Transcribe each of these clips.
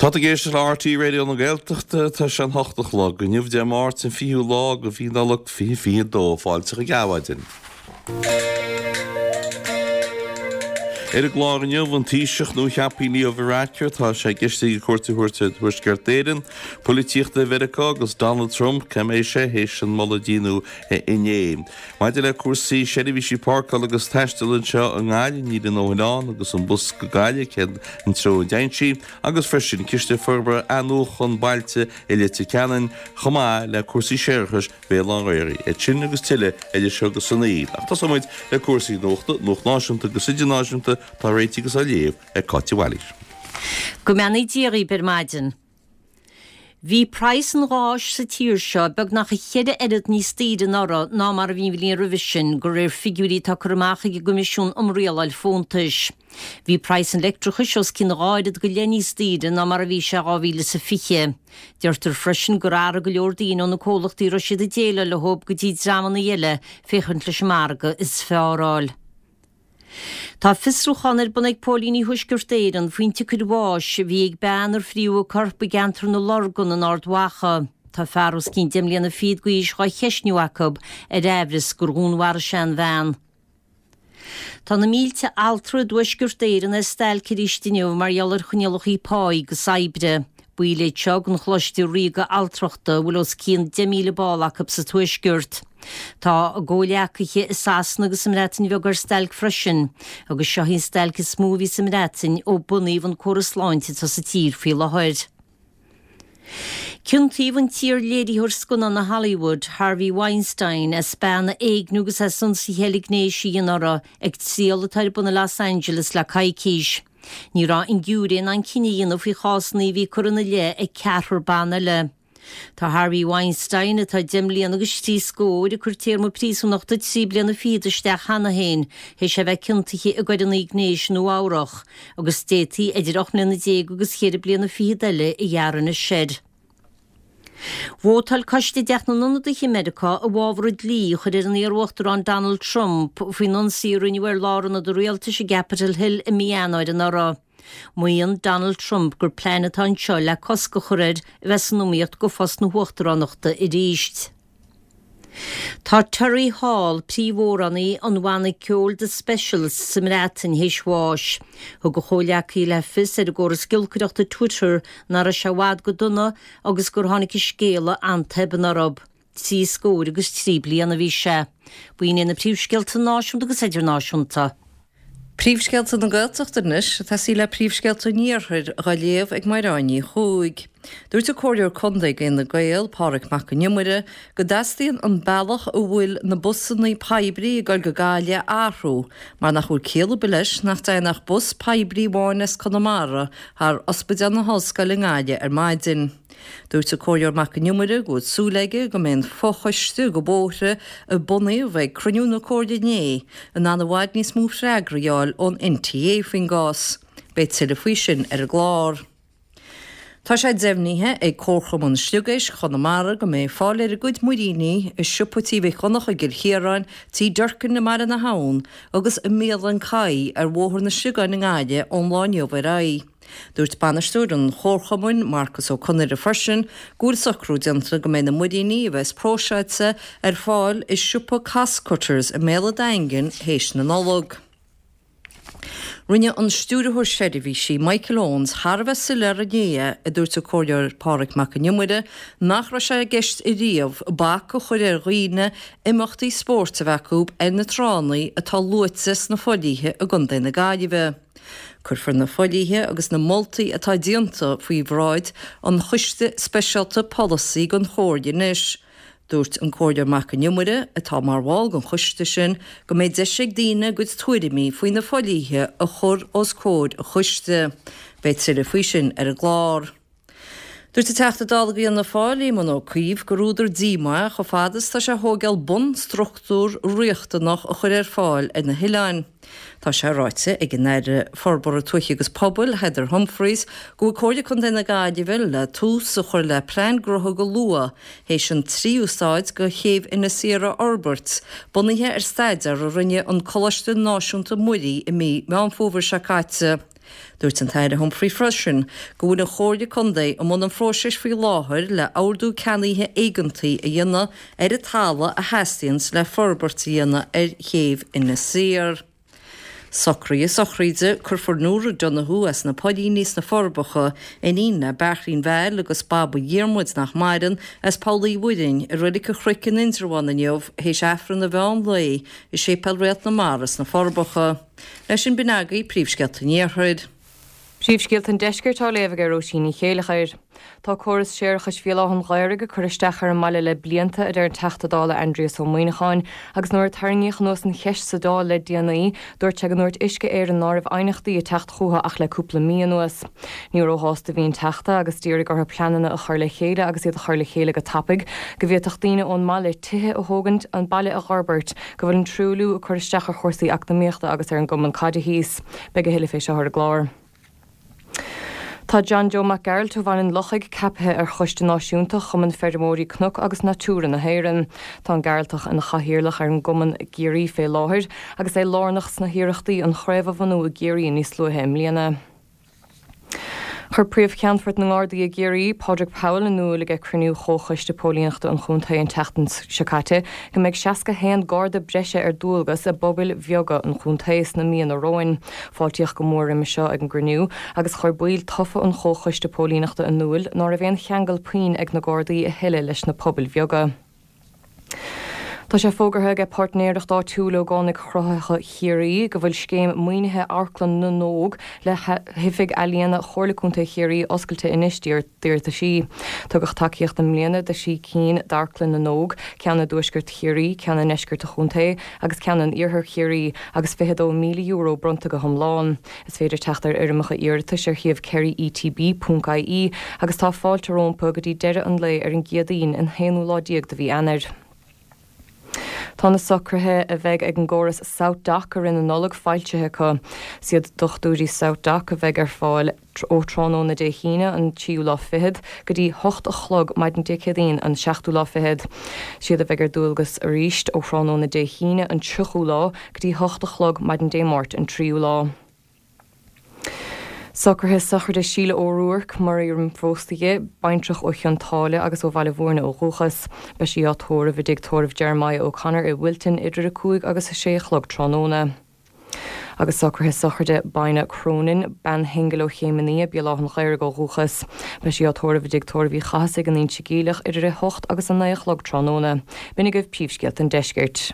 Tá tú ag éisteacht le RTÉ Raidió na Gaeltachta, tá sé an 8 a chlog inniu, Dé Máirt an 20ú lá de mhí Nollag 2022. Fáilte chuig Adhmhaidin. Ar an gclár inniu, an Taoiseach nuacheaptha Leo Varadkar, tá sé i gceist aige cuairt a thabhairt ar Thuaisceart Éireann, polaitíocht i Mheiriceá agus Donald Trump, cá mbeidh sé théis an moladh a deineadh inné. Maidir le cúrsaí seirbhísí páirceála agus taistil anseo i nGaillimh, níl a ndóthain ann agus an bus go Gaillimh cén treo a dtéann sí, agus freisin Ciste Forbartha Athnuachan Bailte i Leitir Ceanainn, chomh maith le cúrsaí séarachais Bhéal Átha an Ghaorthaidh. Iad sin agus tuilleadh idir seo agus a naoi. Ach tosóidh muid le cúrsaí nuachta, nuacht náisiúnta agus idirnáisiúnta, atá réitithe agus á léamh ag Cáit de Bhailís. Go mbeannaí Dia dhaoibh ar maidin. Bhí praghas an gháis sa tír seo beagnach a cheithre oiread níos daoire anuraidh ná mar a bhí an bhliain roimhe sin, de réir figiúirí atá curtha amach ag an gCoimisiún um Rialáil Fóntais. Bhí praghas an leictreachais os cionn a dhá oiread go leith níos daoire ná mar a bhí sé 2020. Deirtear freisin gur athraigh go leor daoine ó na comhlachtaí a raibh siad ag déileáil leo go dtí dreamanna eile féachaint leis an margadh is fearr a fháil. Tá fiosrúchán ar bun ag póilíní Thuaisceart Éireann faoin tsiocair bháis a bhí ag bean ar fríothadh a corp i gceantar na Lorgan in Ard Mhacha. Tá fear os cionn deich mbliana fichead d'aois dhá cheistniú acu ar aimhreas gur dhúnmharaigh sé an bhean. Tá na mílte altra i dTuaisceart Éireann ar stailc arís inniu mar gheall ar choinníollacha páí agus oibre. Baill iad seo den Choláiste Ríoga Altrachta a bhfuil os cionn 10,000 ball acu sa Tuaisceart. Tá a gcomhghleacaithe i Sasana agus sa mBreatain Bheag ar stailc freisin, agus seo í an stailc is mó a bhí sa mBreatain ó bunaíodh an córas sláinte atá sa tír faoi láthair. Ciontaíodh an t-iar-léiritheoir scannán i Hollywood, Harvey Weinstein, as bean a éigniú agus as ionsaithe eile gnéis a dhéanamh uirthi ag triail atá ar bun i Los Angeles le coicís. Ní raibh an giúiré in ann cinneadh a dhéanamh faoi chásanna a bhí curtha ina leith ag ceathrar ban eile. Tá Harvey Weinstein, atá deich mbliana agus trí scór, ag cur téarma príosúnachta trí bliana fichead isteach cheana féin théis é bheith ciontaithe i gcoireanna gnéis i Nua Eabhrach, agus d'fhéadfaí idir 18 mbliana agus cheithre bliana fichead eile a ghearradh anois air. Vótáil coiste i dTeach na nIonadaithe i Meiriceá i bhfabhar an dlí a chur ar an iar-uachtarán Donald Trump faoin ionsaí a rinneadh ar lárionad an rialtais i gCapitol Hill i mí Eanáir anuraidh. Maíonn Donald Trump gur plean atá anseo le cosc a chur air a bheith san iomaíocht do phost na huachtaránachta arís. Tá Terry Hall, príomhamhránaí an bhanna ceoil The Specials sa mBreatain, théis bháis. Thug a chomhghleacaí le fios ar an gcóras giolcaireachta Twitter nach raibh sé i bhfad go dona agus gur tháinig an scéala an-tobann orthu. 73 bliain a bhí sé. B'in iad na príomhscéalta náisiúnta agus idirnáisiúnta. Príomhscéalta na Gaeltachta anois, ag tosaí le príomhscéalta an Iarthair, dhá léamh ag Mairéad Ní Chuaig. Dúirt an Comhairleoir Contae ag Fhine Gael, Pádraig Mac Con Iomaire, go dteastaíonn an bealach a bhfuil na busanna poiblí ag dul go Gaillimh a athrú mar nach bhfuil ciall ar bith leis nach dtéann ach bus poiblí amháin as Conamara thar Ospidéal na hOllscoile i nGaillimh ar maidin. Dúirt an Comhairleoir Mac Con Iomaire go bhfuil súil aige go mbeidh an fochoiste go bóithre a bunaíodh ag cruinniú na Comhairle inné in ann i bhfad níos mó freagraí a fháil ón NTA faoin gcás. Beidh tuilleadh faoi sin ar an gclár. Tá sé deimhnithe ag Comharchumann Sliogéisc Chonamara go mbeidh fáil ar a gcuid muiríní i siopa Tí Mhic Dhonncha i gCill Chiaráin, Tí Durkin i mBaile na hAbhann agus i mbialann Kai ar Bhóthar na Sliogáin i nGaillimh ón lá inniu ar aghaidh. Dúirt bainisteoir an Chomharchumainn, Marcus Ó Conaire freisin go bhfuil socrú déanta go mbeidh na muiríní a bheas próiseáilte ar fáil i siopa Costcutters i mbéal an Daingin théis na Nollag. Rinne an Stiúrthóir Seirbhísí, Michael Owens, thar a bheith soiléir inné, a dúirt an Comhairleoir Pádraig Mac Con Iomaire, nach raibh sé i gceist ariamh bac a chur ar dhaoine imeachtaí spóirt a bheith acu ar na tránna atá luaite sna fodhlíthe i gContae na Gaillimhe. Cuirfear na fodhlíthe agus na moltaí atá déanta faoi bhráid an Choiste Speisialta Polasaí den Chomhairle anois. Dúirt an Comhairleoir Mac Con Iomaire, atá mar bhall den choiste sin, go mbeidh deis ag daoine a gcuid tuairimí faoi na fodhlíthe a chur os comhair an choiste. Beidh tuilleadh faoi sin ar an gclár. Dúirt an Teachta Dála do Fhianna Fáil, Éamon Ó Cuív, gur údar díomá é chomh fada is atá sé a thóigeáil bunstruchtúr riachtanach a chur ar fáil ar na hoileáin. Tá sé ráite ag an Aire Forbartha Tuaithe agus Pobail, Heather Humphreys, go bhfuil Comhairle Contae na Gaillimhe le tús a chur le plean gnótha go luath théis an tríú staid de chéibh Inis Oírr a fhorbairt, bunaithe ar staidéar a rinne an Coláiste Náisiúnta Muirí i mí Meán Fómhair seo caite. Dúirt an tAire Humphrey freisin go bhfuil an Chomhairle Contae i mbun an phróisis faoi láthair le ordú ceannaithe éigeantaí a dhéanamh ar an talamh a theastaíonns le forbairt a dhéanamh ar chéibh Inis Oírr. Socruithe sochraide, Cuirfear Nóra Donoghue as na Poillíní sna Forbacha, iníon le Beairtlín Val agus Baba Dhiarmuid nach maireann, as Poll Uí Mhuirinn, i Reilig an Chnoic in Indreabhán inniu théis Aifreann an mheán lae i Séipéal Réalt na Mara sna Forbacha. Leis sin b'in agaibh príomhscéalta an Iarthair. Príomhscéalta an Deiscirt á léamh ag Róisín Ní Chéileachair. Tá córas séarachais Bhéal Átha an Ghaorthaidh ag cur isteach ar an mbaile le blianta, a deir an Teachta Dála Aindrias Ó Muimhneacháin, agus nuair a tarraingíodh anuas an cheist sa Dáil le déanaí, dúirt sé go ndúirt Uisce Éireann ná raibh aighneachtaí ag teacht chucu ach le cúpla mí anuas. Ní róshásta a bhí an Teachta agus d'iarraidh orthu pleananna a chur le chéile agus iad a chur le chéile go tapaidh, go bhféadfadh daoine ón mbaile tithe a thógaint, an baile a dh'fhorbairt, go bhfuil an truailliú ag cur isteach ar chúrsaí eacnamaíochta agus ar an gcumann caide thíos. Beidh a thuilleadh fé seo ar an gclár. Tá John Joe Mac Gearailt ó Bhaile an Lochaigh ceapaithe ar Choiste Náisiúnta Chumann Feirmeoirí Cnoc agus Natura na hÉireann. Tá an Gearaltach ina chathaoirleach ar an gcumann i gCiarraí fé láthair agus é lárnach sna hiarrachtaí an chraobh a bhunú i gCiarraí níos luaithe i mbliana. Chuir Príomh-Cheannfort na nGardaí i gCiarraí, Pádraig Powell, in iúl ag cruinniú Chomhchoiste Póilíneachta an chontae an tseachtain seo caite go mbeidh 61 Garda breise ar dualgas i bpobail bheaga an chontae sna míonna romhainn. Fáiltíodh go mór roimhe seo ag an gcruinniú agus chuir baill tofa an Chomhchoiste Póilíneachta in iúl ná raibh aon cheangal puinn ag na Gardaí a thuilleadh leis na pobail bheaga. Tá sé fógartha aige Páirtnéireacht Áitiúil Ógánaigh Chruthaitheacha Chiarraí go bhfuil scéim maoinithe Amharclann na nÓg le hOifig Ealaíona Chomhairle Contae Chiarraí oscailte anois d'iarrataisí. Tugadh tacaíocht i mbliana do thrí cinn d'Amharclann na nÓg, ceann i dtuaisceart Chiarraí, ceann i ndeisceart an chontae agus ceann in iarthar Chiarraí, agus €22,000 bronnta go hiomlán. Is féidir teacht ar fhoirmeacha iarratais ar shuíomh kerryetb.ie agus tá fáilte rómpa go dtí deireadh an lae ar an gCéadaoin an haonú lá déag de mhí Eanáir. Tá na socruithe a bheidh ag an gcóras SouthDoc i rith na Nollag foilsithe acu. Is iad dochtúirí SouthDoc a bheidh ar fáil ó tráthnóna Dé hAoine an tríú lá fichead go dtí hocht a chlog maidin Dé Céadaoin an seachtú lá fichead. Is iad a bheidh ar dualgas arís ó thráthnóna Dé hAoine an tríochú lá go dtí hocht a chlog maidin Dé Máirt an tríú lá. Socruithe sochraide Síle O'Rourke, maraíodh roimh phósadh di, baintreach ó Chionn tSáile agus ó Bhaile Bhúirne ó dhúchas. Beidh sí á tórramh i dtigh tórraimh Jeremiah O'Connor i Wilton idir 5 agus 6 a chlog tráthnóna. Agus socruithe sochraide Bina Cronin, bean shingil ó Chéim an Fhia, Béal Átha an Ghaorthaidh ó dhúchas. Beidh sí á tórramh i dtigh tórraimh Uí Chathasaigh in Inse Geimhleach idir 8 agus 9 a chlog tráthnóna. B'in agaibh príomhscéalta an deiscirt.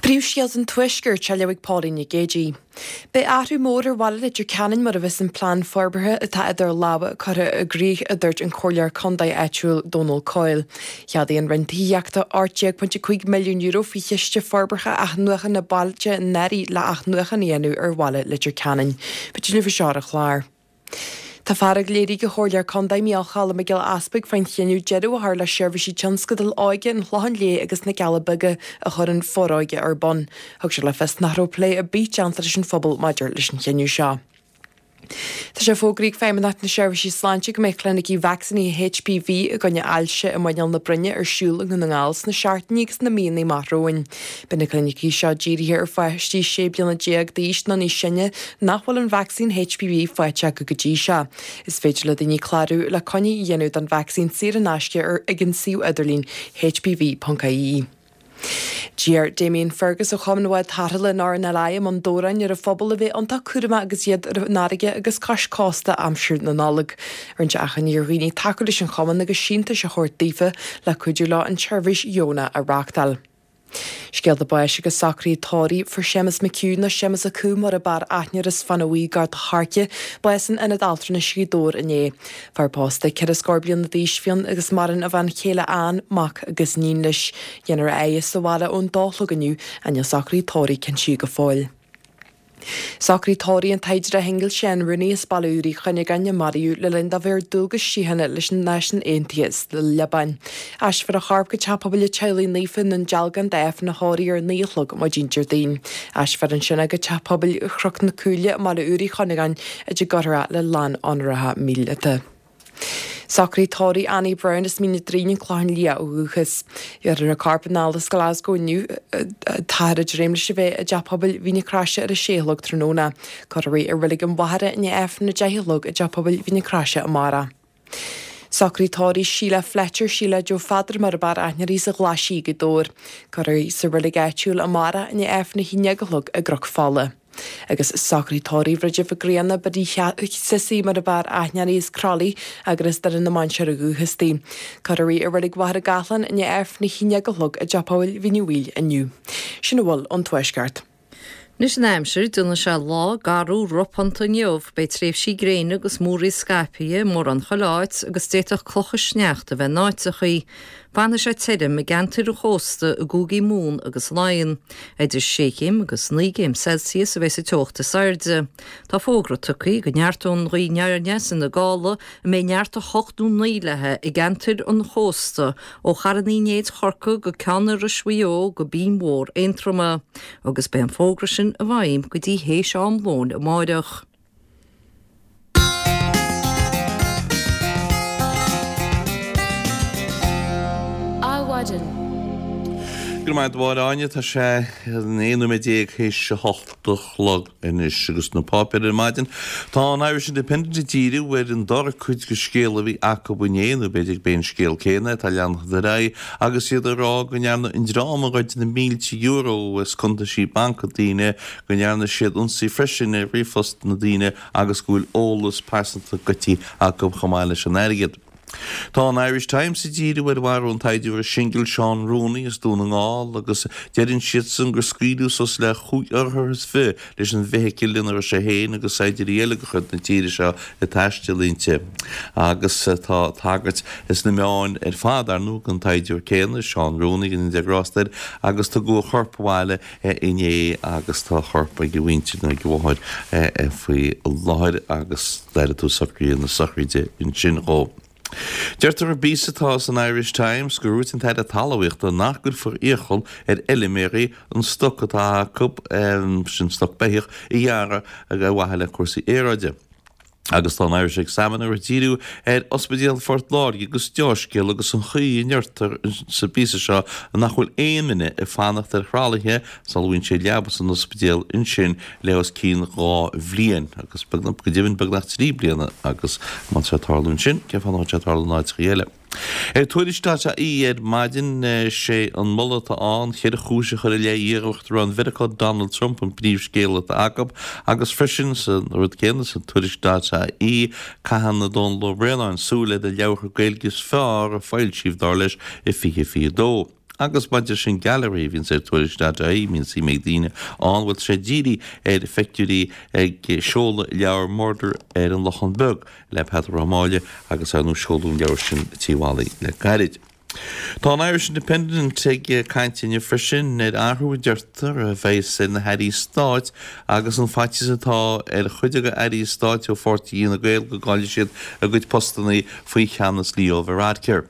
Príomhscéalta an Tuaiscirt á léamh ag Pauline Nic Géadaigh. Beidh athrú mór ar bhaile Leitir Ceanainn mura bheas an plean forbartha atá idir lámha curtha i gcrích, a dúirt an comhairleoir contae áitiúil Dónal Coyle. Cheadaigh an Roinn Tithíochta €18.5 milliún faoi Chiste Forbartha Athnuachana Bailte anuraidh le athnuachan a dhéanamh ar bhaile Leitir Ceanainn. Beidh tuilleadh faoi seo ar an chlár. Tá fearg léirithe ag an Chomhairleoir Contae Micheál Choilm Mac Giolla Easpaig faoin chinneadh deireadh a chur le seirbhísí tionscadail óige an Chlocháin Léith agus na gCealla Beaga a chuir an Foróige ar bun. Thug sé le fios nach raibh plé ar bith déanta leis an phobal maidir leis an chinneadh seo. Tá sé fógraithe ag Feidhmeannacht na Seirbhísí Sláinte go mbeidh clinicí vacsaínithe HPV i gcoinne ailse i muineál na broinne ar siúl i nDún na nGall sna seachtainí agus na míonna amach romhainn. Beidh na clinicí seo dírithe ar pháistí 16 bliana d'aois nó níos sine nach bhfuil an vacsaín HPV faighte acu go dtí seo. Is féidir le daoine clárú le coinne a dhéanamh don vacsaín saor in aisce ar ag an suíomh idirlín hpv.ie. D'iarr Damien Fergus ó Chumann Bhád Tarrthála an RNLI i mbun Dobhráin ar an phobal a bheith iontach cúramach agus iad ar an fharraige agus cois cósta aimsir na Nollag. Rinne sé achainí ar dhaoine tacú leis an chumann agus síntiúis a thabhairt daofa le cuidiú leo an tseirbhís dheonach a reáchtáil. Scéalta báis agus socruithe tórraimh. Fuair Séamus McHugh, nó Séamus a' Cú mar ab fhearr aithne air as Fána Bhuí gar do Thairce, bás in Ionad Altranais Ghaoth Dobhair inné. Fear pósta, ceithre scór bliana d'aois a bhí ann agus maireann a bhean chéile Ann, mac agus iníon leis. Déanfar a fhaire sa bhaile ón dó a chlog inniu ach níl socruithe tórraimh cinntithe go fóill. Socruithe tórraimh an tsaighdiúra shingil Seán Rooney as Baile Úr Uí Chuinneagáin a maraíodh le linn dó bheith ar dualgas síochána leis na Náisiúin Aontaithe sa Liobáin. Aistreofar a chorp go Teach Pobail an Teaghlaigh Naofa i nDún Dealgán d'Aifreann a thórraimh ar 9 a chlog maidin Déardaoin. Aistreofar ansin é go Teach Pobail Chnoc na Cúile i mBaile Úr Uí Chuinneagáin áit a gcuirfear é le lán-onóracha míleata. Socruithe tórraimh Annie Brown as Mín an Doirín, An Clochán Liath ó dhúchas. Bhéarfar a corp anall as Glasgow inniu. Táthar ag dréim leis a bheith i dTeach Pobail Mhín na Croise ar a sé a chlog tráthnóna. Cuirfear í i Reilig an Mhachaire i ndiaidh Aifreann a 10 a chlog i dTeach Pobail Mhín na Croise amárach. Socruithe tórraimh Sheila Fletcher, Sheila Joe Pheadair mar ab fhearr aithne uirthi as an Ghlais Gaoth Dobhair. Cuirfear í sa reilig áitiúil amárach i ndiaidh Aifreann 11 a chlog i gCnoc Fola. Agus socruithe tórraimh Bhridget Mhic Grianna, Biddy Sissy mar ab fhearr aithne uirthi as Crolly agus as Doire na Mainséar ó dhúchas di. Cuirfear í i Reilig Mhachaire Gathlán i ndiaidh Aifreann 11 a chlog i dTeach Pobail Mhín Uí Bhaoill inniu. Sin a bhfuil ón Tuaisceart. Anois an aimsir, déanfaidh sé lá garbh ropánta inniu. Beidh tréimhsí gréine agus múraíl scaipthe i mórán chuile áit agus d'fhéadfadh clocha sneachta a bheith in áiteachaí. Fanfaidh sé tirim i gceantair an chósta i gcúigí Mumhan agus Laighean. Idir sé chéim agus 9 gcéim Celsius a bheidh sa teocht is airde. Tá fógra tugtha go neartóidh an ghaoth aniar aneas ina gála a mbeidh neart 8 nó 9 léi i gceantair an chósta ó Charn Uí Néid Chorcaí go Ceann Iorrais Mhaigh Eo go Binn Mhór Aontroma, agus beidh an fógra sin i bhfeidhm go dtí théis am lóin amáireach. Adhmhaidin. Go raibh maith agat a Mháire Áine, tá sé 11 nóiméad théis a hocht a chlog anois agus na páipéir ar maidin. Tá an Irish Independent ag díriú ar an dara cuid de scéal a bhí acu inné, nó b'fhéidir gurb é an scéal céanna atá leanacht ar aghaidh, agus iad ag rá go ndearna an dream a ghoid na mílte euro as cuntaisí banc daoine, go ndearna siad ionsaí freisin ar ríomhphost na daoine agus go bhfuil eolas pearsanta goidte acu chomh maith leis an airgead. Tá an Irish Times ag díriú ar mharú an tsaighdiúra singil Seán Rooney as Dún na nGall agus deireann siadsan gur scaoileadh suas le chúig urchar is fi leis an bhfeithicil ina raibh sé féin agus saighdiúirí eile de chuid na tíre seo ag taisteal inti. Agus tá tagairt sna meáin ar fad, ar ndóigh, don tsaighdiúir céanna, Seán Rooney, go ndéana Dia grásta air, agus tugadh a chorp abhaile inné agus tá a chorp ag a mhuintir nó ag a mháthair faoi láthair agus d'airigh tú socruithe na sochraide ansin dhó. Deirtear i bpíosa atá san Irish Times gur dhúirt an tAire Talmhaíochta nach gcuirfear iachall ar fheilméaraí an stoc atá acu, sin stoc beithíoch, a ghearradh ar mhaithe le cúrsaí aeráide. Agus tá an Irish Examiner ag díriú ar Ospidéal Phort Láirge agus deá-scéal agus an chaoi a ndeirtear sa bpíosa seo nach bhfuil aon duine ag fanacht ar thralaithe sula bhfaigheann siad leaba san ospidéal ansin le os cionn 2 bhliain agus go deimhin beagnach 3 bliana agus má tá sé ag tarlú ansin cén fáth nach bhfuil sé ag tarlú in áiteachaí eile. Ar Tuairisc.ie ar maidin, sé an moladh atá ann, cheithre chúis a chur i leith iar-uachtarán Mheiriceá Donald Trump an príomhscéal atá acu agus freisin sa rud céanna sa Tuairisc.ie, caitheann Dónal Ó Braonáin súil ar na leabhartha Gaeilge is fearr a foilsíodh, dar leis, i 2022. Agus maidir leis an Gallery a bhíonns ar Tuairisc.ie, mbíonn suim ag daoine ann, bhuel tá sé dírithe ar phictiúirí ag seoladh leabhar Murdair ar an Lochán Beag. le Peadar Ó Máille agus ar ndóigh seoladh an leabhar sin i Tigh Mholly le gairid. Tá an Irish Independent ag caint inniu freisin ar athrú a deirtear a bheas ar na hairí stáit agus an faitíos atá ar chuid de airí stáit ó pháirtí Fhine Gael go gcaillfidh siad a gcuid postanna faoi cheannas Leo Varadkar.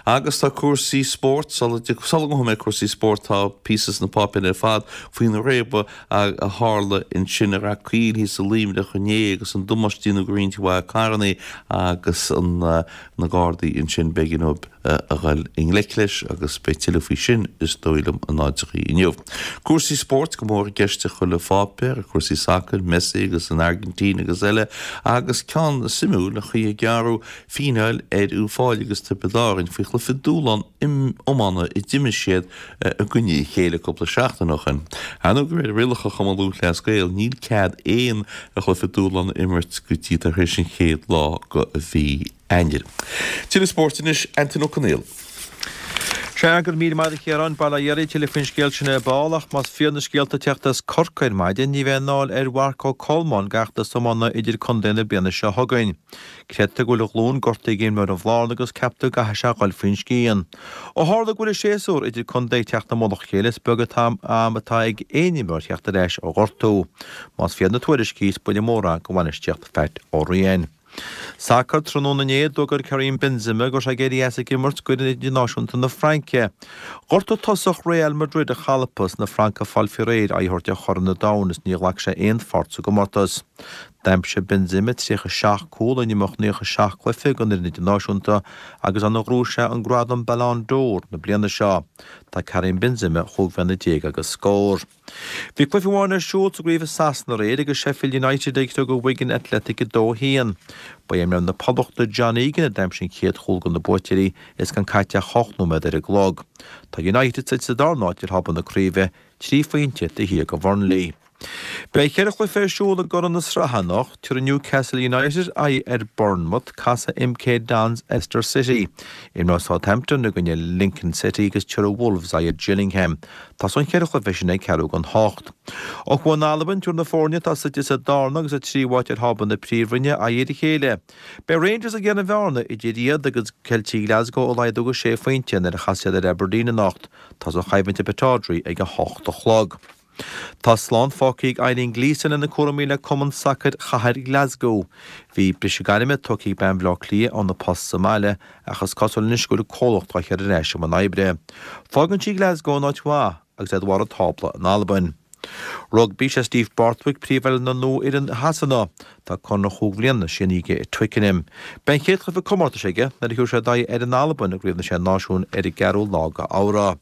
Agus tá cúrsaí spóirt, sula ngabhfaidh mé cúrsaí spóirt, tá píosa sna páipéir ar fad faoin réabadh a tharla ansin i Rath Caoil thíos i Luimneach inné agus an damáiste a déanadh do roinnt mhaith carrannaí agus na Gardaí ansin b'éigean dóibh a dhul i ngleic leis agus beidh tuilleadh faoi sin is dóigh liom in áiteachaí inniu. Cúrsaí spóirt go mór i gceist i chuile pháipéar, cúrsaí sacair, Messi agus an Airgintín agus eile agus ceann suimiúil an chaoi a gearradh fíneáil ar Uíbh Fhailí agus Tiobraid Árann faoi chluiche dúshlán iomána a d'imir siad i gcoinne a chéile cúpla seachtain ó shin. Ar ndóigh, de réir rialacha Chumann Lúthchleas Gael, níl cead aon chluiche dúshlán a imirt go dtí tar éis an chéad lá de mhí Eanáir. Tuilleadh spóirt anois, Antain Ó Conghaile. Sea, go raibh míle maith agat a Chiaráin, bail ó Dhia oraibh, tuilleadh faoin scéal sin ar ball, ach más fíor na scéalta ag teacht as Corcaigh ar maidin, ní bheidh i ndán ar Mharc Ó Colmáin d'fheachtas iomána idir-contae na bliana seo chugainn. Creidtear go bhfuil a ghlúin gortaithe ag imreoir an Bhlarna agus ceaptar go gcaithfidh sé a dhul faoin scian. Ó tharla go bhfuil an séasúr idir contae ag teacht i mullach a chéile is beag an t-am atá ag aon imreoir theacht ar ais ó ghortú. Más fíor na tuairiscí is buille mór é do bhainistíocht Phat Ó Riain. Sacar, Tráthnóna inné, d'fhógair Karim Benzema go raibh sé ag éirí as ag imirt d'fhoireann idirnáisiúnta na Fraince. Ghortaigh tosach Real Madrid a cholpa is na Francaigh ag fáil faoi réir aghaidh a thabhairt ar Chorn an Domhain is níor ghlac sé aon pháirt sa gcomórtas. D'aimsigh Benzema 37 cúl in imeacht 97 cluiche don fhoireann idirnáisiúnta agus ann a ghnóthaigh sé an gradam Ballon d'Or na bliana seo. Tá Karim Benzema chúig bhliana déag agus scór. Bhí cluiche amháin ar siúl sa gcraobh i Sasana aréir agus Sheffield United ag criogadh Wigan Athletic 2-1. Ba é imreoir na Poblachta John Egan a d'aimsigh an chéad chúl do na buaiteoirí is gan caite ach 8 nóiméad ar an gclog. Tá United suite sa darna háit ar thábla na craoibhe, 3 phointe taobh thiar de Bhurnley. Beidh cheithre chluiche ar siúl i gCuradh na Sraithe anocht. Tabharfaidh Newcastle United aghaidh ar Bournemouth, casfaidh MK Dons ar Leicester City. Imreoidh Southampton i gcoinne Lincoln City agus tabharfaidh Wolves aghaidh ar Gillingham. Tosóidh an cheithre chluiche sin ag ceathrú don hocht. Ó thuaidh in Albain, tabharfaidh na foirne atá suite sa darna agus sa tríú háit ar thábla na Príomhroinne aghaidh ar a chéile. Beidh Rangers ag iarraidh an bhearna idir iad agus Ceiltigh Glasgow a laghdú go sé phointe nuair a chasfaidh siad ar Aberdeen anocht. Tosóidh an choimhlint i Pittodrie ag a hocht a chlog. Tá slán fágtha ag Eileen Gleeson lena cúraimí le Cumann Sacair Chathair Glasgow. Bhí briseadh gairme tugtha ag bean Bhaile Átha Cliath óna post sa mbaile ach is cosúil anois go bhfuil an comhlacht á cur ar ais i mbun oibre. Fágann sí Glasgow in áit mhaith agus iad ar bharr an tábla in Albain. Rugbaí, Sé Steve Borthwick príomhoileoir nua fhoireann Shasana. Tá conradh chúig bhliana sínithe aige i Twickenham. Beidh an chéad chluiche comórtais aige nuair a thiúrfaidh sé aghaidh ar an Albain i gCraobh na Sé Náisiún ar an gceathrú lá de Fheabhra.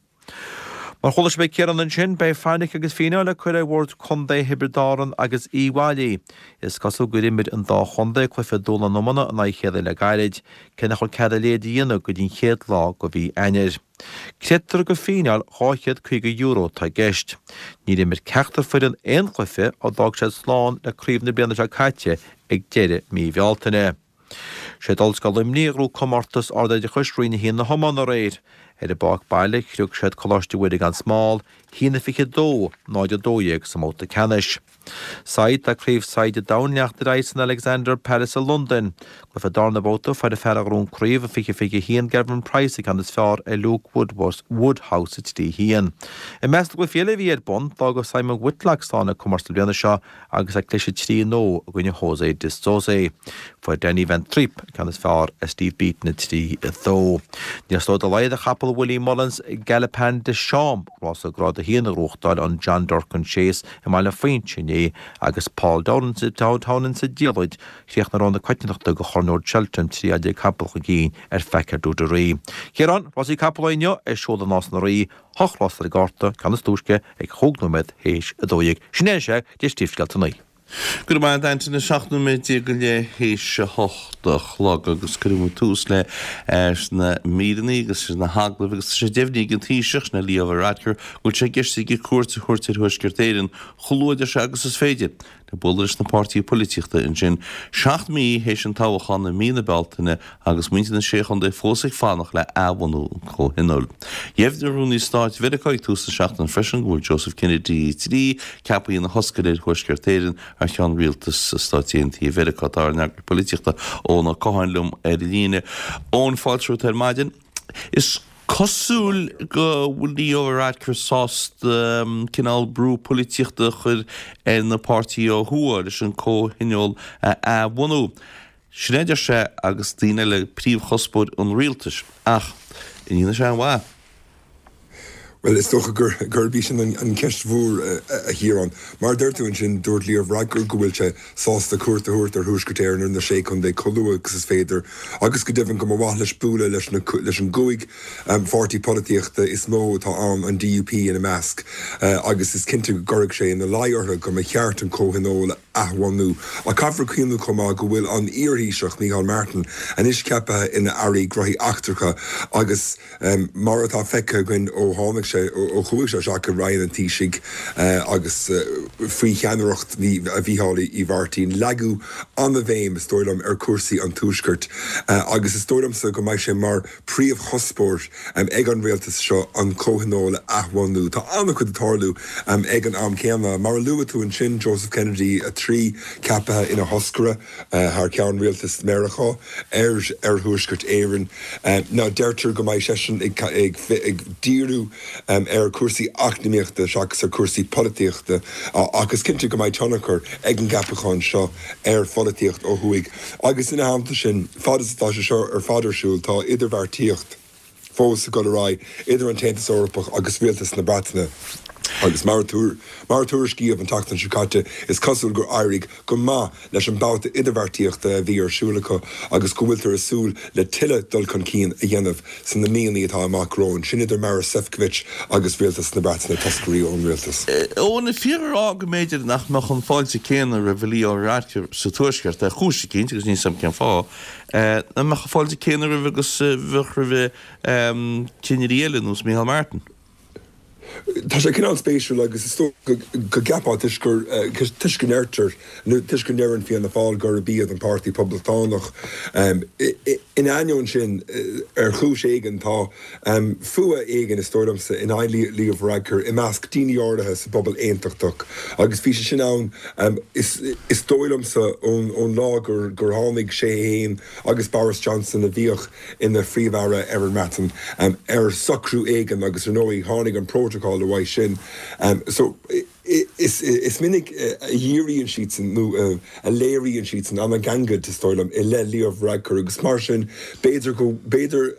Mar chuala sibh ag Ciarán ansin, beidh fainic agus fíneáil le cur ar Bhord Contae Thiobraid Árann agus Uíbh Fhailí. Is cosúil gur imir an dá chontae cluiche dúshlán iomána in aghaidh a chéile le gairid, cé nach bhfuil cead a leithéid a dhéanamh go dtí an chéad lá de mhí Eanáir. Creidtear gur fíneáil €250 atá i gceist. Níor imir ceachtar foireann aon chluiche ó d'fhág siad slán le craobh na bliana seo caite ag deireadh mí Bhealtaine. Siad Ollscoil Luimnigh a ghnóthaigh comórtas ardoideachais Roinn 1 na hiomána aréir. Ar an bpáirc baile, chriog siad Coláiste Mhuire gan Smál, 1-22, 0-12 sa mbabhta ceannais. Said, Tá Craobh Saighde an Domhain ag leanacht ar aghaidh san Alexander Palace i Londain. Cluiche darna babhta, fuair an fear a ghnóthaigh an craobh i 2021, Gerwyn Price, an ceann is fearr ar Luke Woodhouse 3-1. I measc na gcluichí eile a bhí ar bun, d'fhág Simon Whitlock slán le comórtas na bliana seo agus é ag cliseadh 3-0 i gcoinne Jose de Sousa. Fuair Danny van Trijp an ceann is fearr ar Steve Beaton 3-2. Níor slóigh dá laghad do chapall Willie Mullins, Galopin Des Champs, rása Grád 1 a ghnóthachtáil an John Durkan Chase i mBaile Phuinse inné agus Paul Townend sa diallait, chríochnaigh rogha na coitiantachta do Chorn Óir Cheltenham 13 fhad capall chun cinn ar Fakir D'Oudairies. Ciarán, rásaí capall inniu ar siúl i Nás na Rí, Hocht rás ar an gcárta, ceann is túisce ag chúig nóiméad théis 12. Sin é is ea de phríomhscéalta an lae. Go raibh maith agat Antaine, 17 nóiméad go leith théis a hocht a chlog agus cuirfidh muid tús le sna míreanna agus sna hagallaimh agus tá sé deimhnithe ag an Taoiseach, sin é Leo Varadkar, go bhfuil sé i gceist aige cuairt a thabhairt ar Thuaisceart Éireann chomh luath a deir sé agus is féidir. Le bualadh leis na páirtithe poilitíochta ansin, 7 mí théis an toghachán i mí na Bealtaine agus muintir na Sé Chontae fós ag fanacht le athbhunú an Chomhthionóil. Dheimhnigh Rúnaí Stáit Mheiriceá ag tús na seachtaine freisin go bhfuil Joseph Kennedy 3 ceaptha ina thoscaire ar Thuaisceart Éireann thar cheann Rialtas Stáit Aontaithe Mheiriceá. Tá ár n-eagarthóir polaitíochta Eoin Ó Catháin liom ar an líne. Eoin, fáilte romhat ar maidin. Is cosúil go bhfuil Leo Varadkar sásta cineál brú polaitíochta a chur ar na páirtithe ó thuaidh leis an comhthionól a athbhunú. Sin é, a deir sé agus daoine eile, príomhchuspóir an rialtais. Ach an ndéanfaidh sé aon mhaith? Bhuel, is dócha gurb í sin an cheist mhór, a Chiaráin. Mar a deir tú ansin, dúirt Leo Varadkar go bhfuil sé sásta cuairt a thabhairt ar Thuaisceart Éireann, ar na Sé Chontae, chomh luath agus is féidir, agus go deimhin go mba mhaith leis bualadh leis na, leis an gcúig pháirtí polaitíochta is mó atá ann, an DUP ina measc, agus is cinnte go gcuirfeadh sé ina luí orthu go mba cheart an Comhthionól a athbhunú. Ach caithfear cuimhneamh chomh maith go bhfuil an iar-Thaoiseach, Micheál Martin, anois ceaptha ina Aire Gnóthaí Eachtracha agus, Mar atá feicthe againn ó tháinig sé, ó chuaigh sé isteach i Roinn an Taoisigh agus faoi cheannaireacht Mhícheáil Uí Mhairtín, leagadh an-bhéim, is dóigh liom, ar chúrsaí an Tuaiscirt agus is dóigh liomsa go mbeidh sé mar phríomhchuspóir ag an rialtas seo an Comhthionól a athbhunú. Tá an-chuid ag tarlú ag an am céanna. Mar a luaigh tú ansin, Joseph Kennedy 3. 2023, ceaptha ina thoscaire thar ceann rialtas Mheiriceá ar ar Thuaisceart Éireann. Now deirtear go mbeidh seisean ag ag díriú ar chúrsaí eacnamaíochta seachas ar chúrsaí polaitíochta ach is cinnte go mbeidh tionchar ag an gceapachán seo ar pholaitíocht ó thuaidh. Agus ina theannta sin, fad is atá sé seo ar fad ar siúl, tá idirbheartaíocht fós ag dul ar aghaidh idir an tAontas Eorpach agus rialtas na Breataine agus mar a tuairiscíodh an tseachtain seo caite, is cosúil gur éirigh go maith leis an mbabhta idirbheartaíochta a bhí ar siúl acu agus go bhfuiltear ag súil le tuilleadh dul chun cinn a dhéanamh sna míonna atá amach romhainn, sin idir Maros Sefcovic agus rialtas na Breataine, toscairí ón rialtas. Eoin, an fíor a rá go mb'fhéidir nach mbeadh an fáilte céanna roimh Leo Varadkar sa Tuaisceart, ar chúis eicínt, agus níl 's a'm cén fáth, nach mbeadh an fáilte céanna roimhe agus a bheadh roimhe cinnirí eile, nós Micheál Martin? Tá sé cineál spéisiúil agus is dócha go gceapfá toisc gur, toisc go ndeirtear, nó toisc go ndeireann Fianna Fáil gurb iad an páirtí poblachtánach. Ina ainneoin sin, ar chúis éigin, tá fuath éigin, is dóigh liomsa, in aghaidh Leo Varadkar i measc daoine áirithe sa bpobal aontachtach agus bhí sé sin ann, is dóigh liomsa, ón lá gur tháinig sé féin agus Boris Johnson, a bhíodh ina Phríomh-Aire ar an mBreatain, ar socrú éigin agus ar ndóigh tháinig an Protocol uaidh sin. So is minic a dhíríonn siadsan nó a léiríonn siadsan an-ghangaid, is dóigh liom, i leith Leo Varadkar agus mar sin b'fhéidir go, b'fhéidir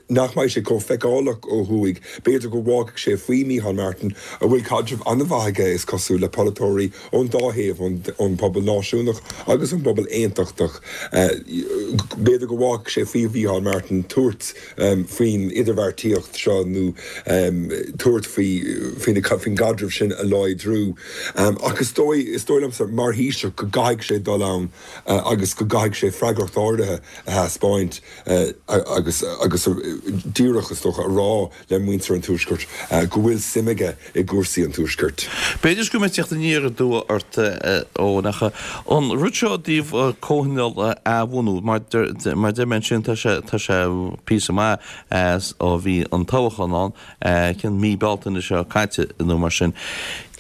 nach mbeidh sé chomh feiceálach ó thuaidh, b'fhéidir go bhfágfaidh sé faoi Micheál Martin, a bhfuil caidreamh an-mhaith aige, is cosúil, le polaiteoirí ón dá thaobh, ón bpobal náisiúnach agus ón bpobal aontachtach. B'fhéidir go bhfágfaidh sé faoi Mhícheál Martin tabhairt faoin idirbheartaíocht seo nó tabhairt faoi faoin gcaidreamh sin a láidriú. Ach is dóigh, is dóigh liomsa, mar Thaoiseach, go gcaithfidh sé dul ann agus go gcaithfidh sé freagracht áirithe a thaispeáint agus agus díreach, is dócha, a rá le muintir an Tuaiscirt go bhfuil suim aige i gcúrsaí an Tuaiscirt. B'fhéidir go mbeidh teacht aniar aduaidh ort, a Eoin, ach an rud seo i dtaobh comhthionól a athbhunú, mar mar deir mé ansin, tá sé tá sé píosa maith as ó bhí an toghchán ann, cén mí Bealtaine seo caite nó mar sin.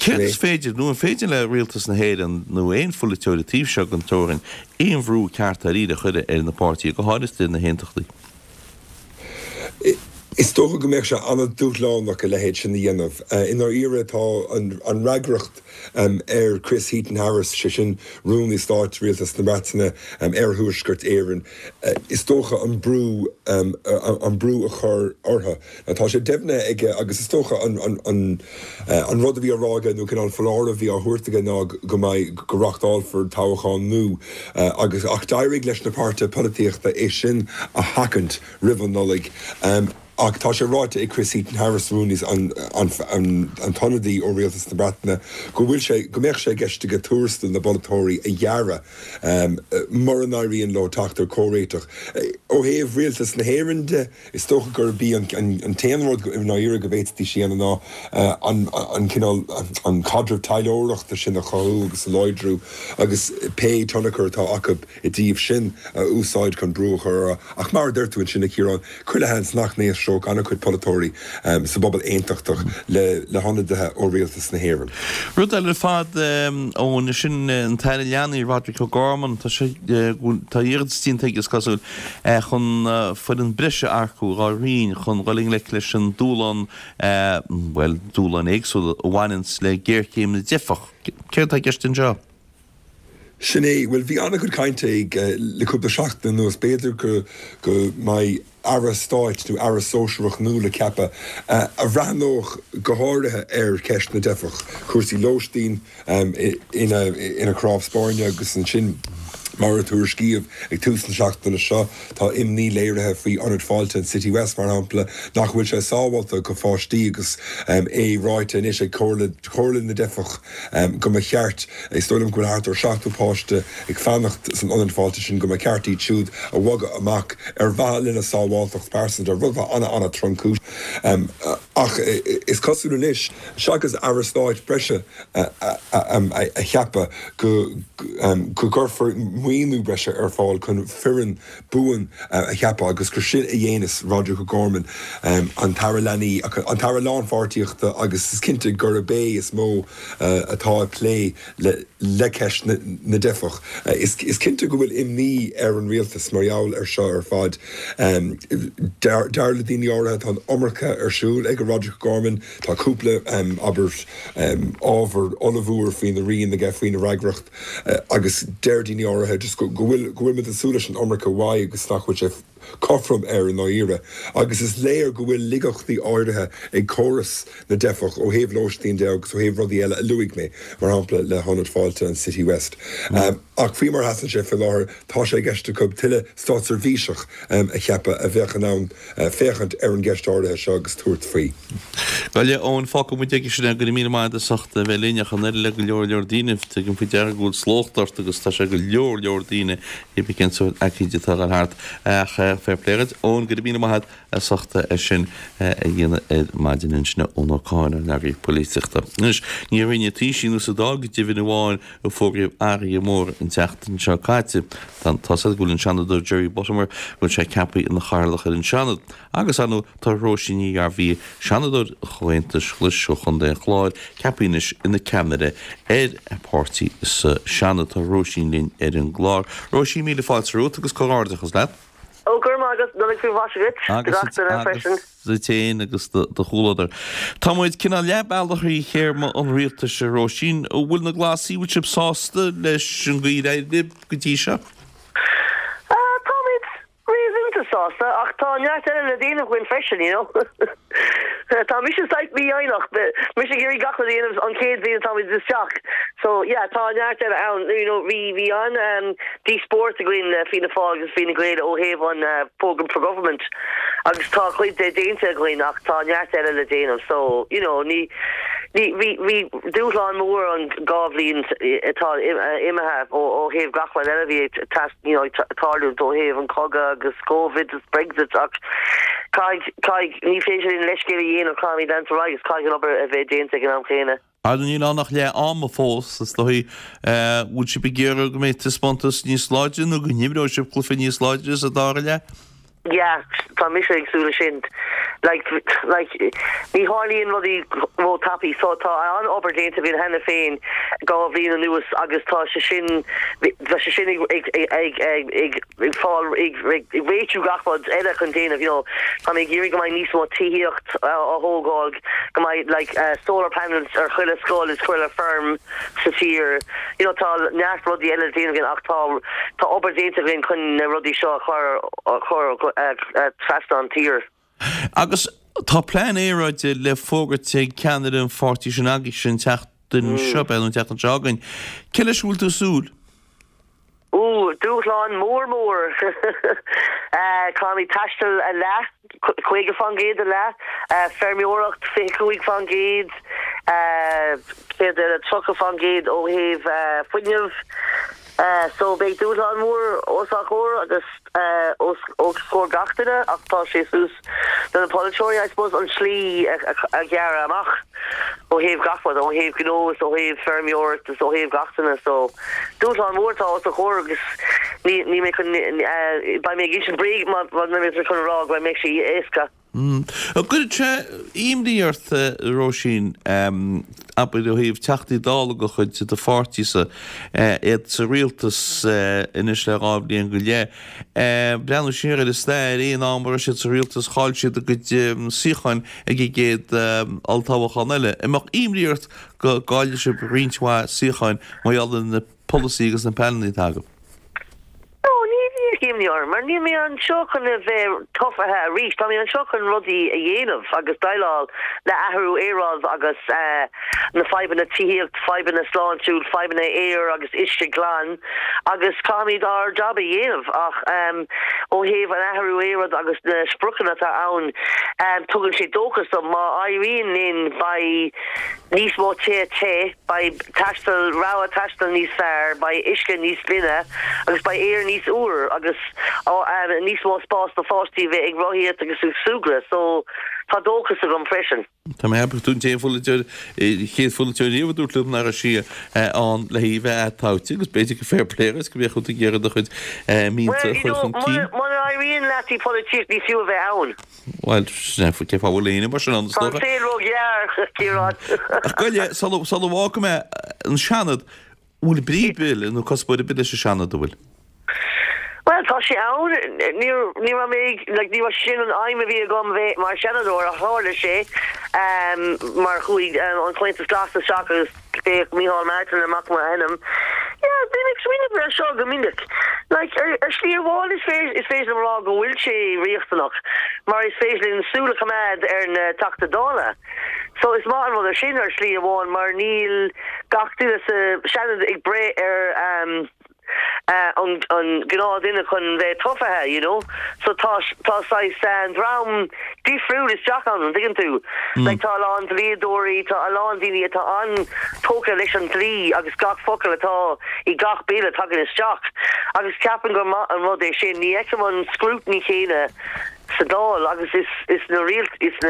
Céard is féidir, nó an féidir le Rialtas na hÉireann nó aon pholaiteoir an taobh seo den teorainn aon bhrú ceart dáiríre a chur ar na páirtithe, go háirithe na hAontachtaí? Is dócha go mbeadh sé an-dúshlánach a leithéid sin a dhéanamh. I ndáiríre tá an fhreagracht ar Chris Heaton-Harris, sé sin Rúnaí Stáit Rialtas na Breataine ar Thuaisceart Éireann, is dócha an brú an brú a chur orthu. Tá sé deimhnithe aige agus is dócha an rud a bhí á rá aige nó cineál foláireamh a bhí á thabhairt aige ná go mbeidh, go reachtálfar toghchán nua agus ach d'éirigh leis na páirtithe polaitíochta é sin a sheachaint roimh an Nollaig. Ach tá sé ráite ag Chris Heaton-Harris, rúnaí an an t-ionadaí ó Rialtas na Breataine, go bhfuil sé, go mbeadh sé i gceist aige tuarastal na bpolaiteoirí a ghearradh mura n-éiríonn leo teacht ar chomhréiteach. Ó thaobh Rialtas na hÉireann de, Is dócha gurb í an t-aon rud i ndáiríre go bhféadfaidís a dhéanamh ná an cineál, an caidreamh taidhleoireachta sin a chothú agus a láidriú agus pé tionchar atá acu i dtaobh sin a úsáid chun brú a chur orthu. Ach mar a deir tú ansin, a Chiaráin, chuile sheans nach n-éisteodh an-chuid polaiteoirí sa bpobal aontachtach le hionadaithe ó rialtas na hÉireann. Rud eile ar fad, Eoin, sin an tAire Leanaí, Roderic O'Gorman, tá sé, tá iarratas déanta aige, is cosúil, chun foireann breise a earcú dá roinn chun dul i ngleic leis an dúshlán, bhuel, dúshláin éagsúla a bhaineanns le géarchéim na dteifeach. Céard atá i gceist anseo? Sin é. Bhuel, bhí an-chuid cainte ag le cúpla seachtain anuas, b'fhéidir go go mbeidh Aire Stáit nó Aire Sóisearach nua le ceapadh a bhreathnódh go háirithe ar cheist na dteifeach, cúrsaí lóistín, ina chnámh spairne agus ansin, mar a tuairiscíodh ag tús na seachtaine seo, tá imní léirithe faoi Ionad Fáilte an Citywest, mar shampla, nach bhfuil sé sábháilte do pháistí agus é ráite anois ag Comhairle na dTeifeach go mba cheart, is dóigh liom go bhfuil thart ar 70 páiste ag fanacht san Ionad Fáilte sin, go mba cheart iad siúd a bhogadh amach ar mhaithe lena sábháilteacht pearsanta, rud atá an-an-tromchúiseach. Ach is cosúil anois, seachas Aire Stáit breise a cheapadh, go gcuirfear maoiniú breise ar fáil chun foireann buan a cheapadh agus gur sin a dhéanas Roderic O'Gorman, an tAire Leanaí, an tAire Lánpháirtíochta agus is cinnte gurb é is mó atá ag plé le ceist na dteifeach. Is cinnte go bhfuil imní ar an rialtas mar gheall ar seo ar fad. Dar le daoine áirithe tá an iomarca ar siúl ag Roderic O'Gorman, tá cúpla, abair, ábhar ollmhór faoina roinn aige, faoina fhreagracht agus deir daoine áirithe just go bhfuil, go bhfuil muid ag súil leis an iomarca uaidh agus nach bhfuil sé cothrom air i ndáiríre. Agus is léir go bhfuil laigeachtaí áirithe ag córas na dteifeach ó thaobh lóistín de agus ó thaobh rudaí eile a luaigh mé, mar shampla le hIonad Fáilte an Citywest. Ach faoi mar a sheasann sé faoi láthair, tá sé i gceist acu tuilleadh státseirbhíseach a cheapadh a bheadh in ann féachaint ar an gceist áirithe seo agus tabhairt faoi. Gabh i leith, Eoin, fágfaidh muid aige sin é. Go raibh míle maith agat as ucht a bheith linn ach an oiread le go leor leor daoine. Tugaim faoi deara go bhfuil slócht ort agus tá sé go leor leor daoine cibé cén sórt aicíd atá ag dul thart. Ach fair play dhuit, Eoin, go raibh míle maith agat as ucht é sin a dhéanamh ar maidin ansin Eoin Ó Catháin, ár n-eagraí polaitíochta. Anois, ní i Roinn an Taoisigh nó sa Dáil go deimhin amháin a fógraíodh athruithe móra an tseachtain seo caite. Tá tá's agat go bhfuil an Seanadóir Jerry Buttimer, go bhfuil sé ceaptha ina chathaoirleach ar an Seanad. Agus, ar ndóigh, tá Róisín Ní Ghearbhuigh, Seanadóir an Chomhaontais Ghlais ó Chontae an Chláir, ceaptha anois ina ceannaire ar a páirtí sa Seanad. Tá Róisín linn ar an gclár. Róisín, míle fáilte romhat agus comhghairdeachas leat. Ó, go raibh maith agat, Nollaig faoi mhaise dhuit, do gach duine freisin. Agus duit féin agus do chomhluadar. Tá muid cineál leath bealach thrí théarma an rialtais, a Róisín. An bhfuil na Glasaigh, an bhfuil sibh sásta leis an gcaoi ar éirigh libh go dtí seo? Táimid réasúnta sásta ach tá neart eile le déanamh againn freisin, you know. Tá mise saghas mífhoighneach, mise ag iarraidh gach rud a dhéanamh an chéad bhliain atáimid isteach. So yeah, tá neart eile ann. You know, bhí, bhí an díospóireacht againn le Fianna Fáil agus Fine Gael ó thaobh an Programme for Government agus tá cuid de déanta againn ach tá neart eile le déanamh. So, you know, ní, ní, bhí, bhí dúshlán mór an 2 bhliain atá imithe ó, ó thaobh gach rud eile a bhí ag teas, you know, ag tarlúint ó thaobh an cogadh agus Covid is Brexit ach caithfidh, caithfidh, ní féidir linn leithscéal a dhéanamh, caithfimid leanúint ar aghaidh agus caithfidh an obair a bheith déanta ag an am chéanna. Ar níl ann ach leath ama fós, is dóigh. Bhfuil sibh ag iarraidh go mbeidh taispeántas níos láidre nó go n-imreoidh sibh cluiche níos láidre sa dara leath? Yeah, tá mise ag súil leis sin. Like, like, ní tharlaíonn rudaí ró-tapaidh so tá an-obair déanta againn cheana féin 2 bhliain anuas agus tá sé sin, tá sé sin ag, ag, ag, ag, ag, ag fáil, ag, ag réitiú gach rud eile chun déanamh, you know. Tá mé ag iarraidh go mbeidh níos mó tithíocht á thógáil, go mbeidh like solar panels ar chuile scoil is chuile feirm sa tír. You know, tá neart rudaí eile le déanamh againn ach tá, tá obair déanta againn chun na rudaí seo a chur, a chur trasna an tír. Agus tá plean aeráide le fógairt ag ceannaire an pháirtí sin agaibhse an tseachtain seo, b'fhéidir, an tseachtain seo chugainn. Cé leis a bhfuil tú ag súil? Ooh, dúshlán mór mór! Caithfimid taisteal a leath, 50% a leath, feirmeoireacht 25%, céard eile, 30% ó thaobh fuinneamh. So beidh dúshlán mór os ár gcomhair agus os comhair gach duine ach tá sé suas do na polaiteoirí I suppose an tslí a ghearradh amach ó thaobh gach rud, ó thaobh gnó is ó thaobh feirmeoireacht is ó thaobh gach duine. So dúshlán mór atá os ár gcomhair agus ní ní mé chun beidh mé ag insint bréag má má mé chun a rá go mbeidh sé éasca. An gcuireann sé imní ort, a Róisín, abair ó thaobh Teachtaí Dála de chuid do pháirtíse, iad sa rialtas anois le 2 bhliain go leith, breathnú siar ar an stair, aon am a raibh siad sa rialtas chaill siad a gcuid suíocháin ag an gcéad olltoghchán eile. An mbeadh imní ort go gcaillfidh sibh roinnt mhaith suíocháin mar gheall ar na polasaithe agus na pleananna atá agaibh? No, ní bheadh imní orm, mar níl mé anseo chun a bheith tofa arís, tá mé anseo chun rudaí a dhéanamh agus déileáil le athrú aeráide agus na fadhbanna tithíocht, fadhbanna sláintiúil, fadhbanna aer agus uisce glan agus caithfimid ár jab a dhéanamh ach ó thaobh an athrú aeráide agus na spriocanna atá ann, tugann sé dóchas dom, má éiríonn linn beidh níos mó tithe te, beidh. taisteal, rogha taistil níos fearr, beidh uisce níos glaine agus beidh aer níos úr agus. níos mó spás do pháistí a bheith ag rothaíocht agus ag súgradh so tá dóchas agam freisin. Tá mé ag ceapadh tú an t-aon pholaiteoir, chéad pholaiteoir riamh a dúirt liom nach raibh sí ann le haghaidh bheith atoghta agus b'fhéidir go fair play dhuit go mbeadh tú ag iarraidh do chuid mianta a chur chun cinn. Muna éiríonn leat i bpolaitíocht ní fiú a bheith ann. Bhuel, sin é, cén fáth a bhfuil éinne mar sin ann is dócha. Tá an saol róghearr, a Chiaráin. Ach gabh i leith, sula bhfágfaidh mé an Seanad, bhfuil brí ar bith nó cuspóir ar bith leis an Seanad, an bhfuil? Bhuel, tá sé ann. Ní ní raibh mé ag, like, ní raibh sin an aidhm a bhí agam bheith mar Sheanadóir ach tharla sé mar chuaigh an Comhaontas Glas isteach agus d'fhéach Micheál Martin amach m'ainm. Yeah, bím ag smaoineamh air seo go minic. Like, ar ar shlí amháin is féidir is féidir liom a rá go bhfuil sé riachtanach mar is féidir linn súil a choimeád ar na Teachta Dála. So is maith an rud é sin ar shlí amháin mar níl gach duine sa Seanad ag breith ar an gnáthduine chun bheith tofa, you know. So tá tá saghas dream difriúil isteach ann, an dtuigeann tú? Like tá a lán dlíodóirí, tá a lán daoine atá an-tógtha leis an dlí agus gach focal atá i gach bill a tagann isteach. Agus ceapaim gur maith an rud é sin. Ní fheicim an scrutiny chéanna sa Dáil agus is is na is na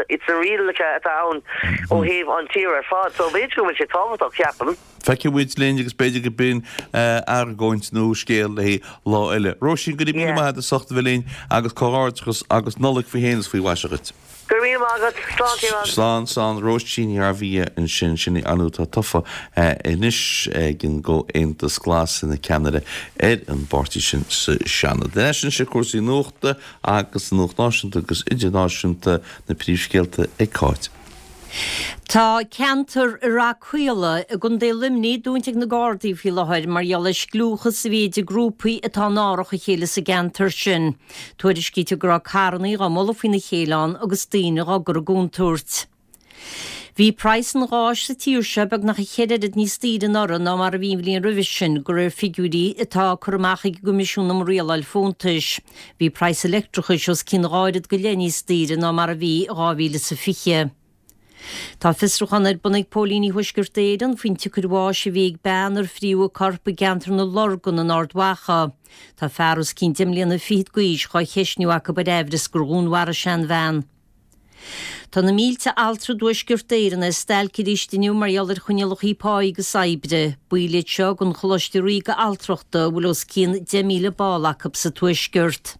is na rialacha atá ann ó thaobh an tír ar fad. So b'fhéidir go bhfuil sé tábhachtach, ceapaim. Feicfidh muid linn agus b'fhéidir go b'in argóint nó scéal le haghaidh lá eile. Róisín, go raibh míle maith agat as ucht a bheith linn agus comhghairdeachas agus Nollaig faoi shéan is faoi mhaise dhuit. Go raibh míle maith agat. Slán, Ciarán. Slán, slán. Róisín Ní Ghairbhia ansin. Sin í ar ndóigh atá tofa anois ag an gComhaontas Glas ina ceannaire ar an bpáirtí sin sa Seanad. Ar ais anois ar cúrsaí nuachta agus an nuacht náisiúnta agus idirnáisiúnta, na príomhscéalta ag Cáit. Tá ceantar i Rath Caola i gContae Luimnigh dúnta ag na Gardaí faoi láthair mar gheall ar scliúchas a bhí idir grúpaí atá in árach a chéile sa gceantar sin. Tuairiscítear go raibh carrannaí dhá mbualadh faoina chéile ann agus daoine dhá gcur i gcontúirt. Bhí praghas an gháis sa tír seo beagnach a cheithre oiread níos daoire anuraidh ná mar a bhí an bhliain roimhe sin, de réir figiúirí atá curtha amach ag an gCoimisiún um Rialáil Fóntais. Bhí praghas an leictreachais os cionn dhá oiread go leith níos daoire ná mar a bhí i 2020. Tá fiosrúchán ar bun ag póilíní Thuaisceart Éireann faoin tsiocair bháis a bhí ag bean ar fríodh a corp i gceantar na Lorgan in Ard Mhacha. Tá fear os cionn deich mbliana fichead d'aois dhá cheistniú acu ar aimhreas gur dhúnmharaigh sé an bhean. Tá na mílte altra i dTuaisceart Éireann ar stailc arís inniu mar gheall ar choinníollacha páí agus oibre. Baill iad seo den Choláiste Ríoga Altrachta a bhfuil os cionn 10,000 ball acu sa Tuaisceart.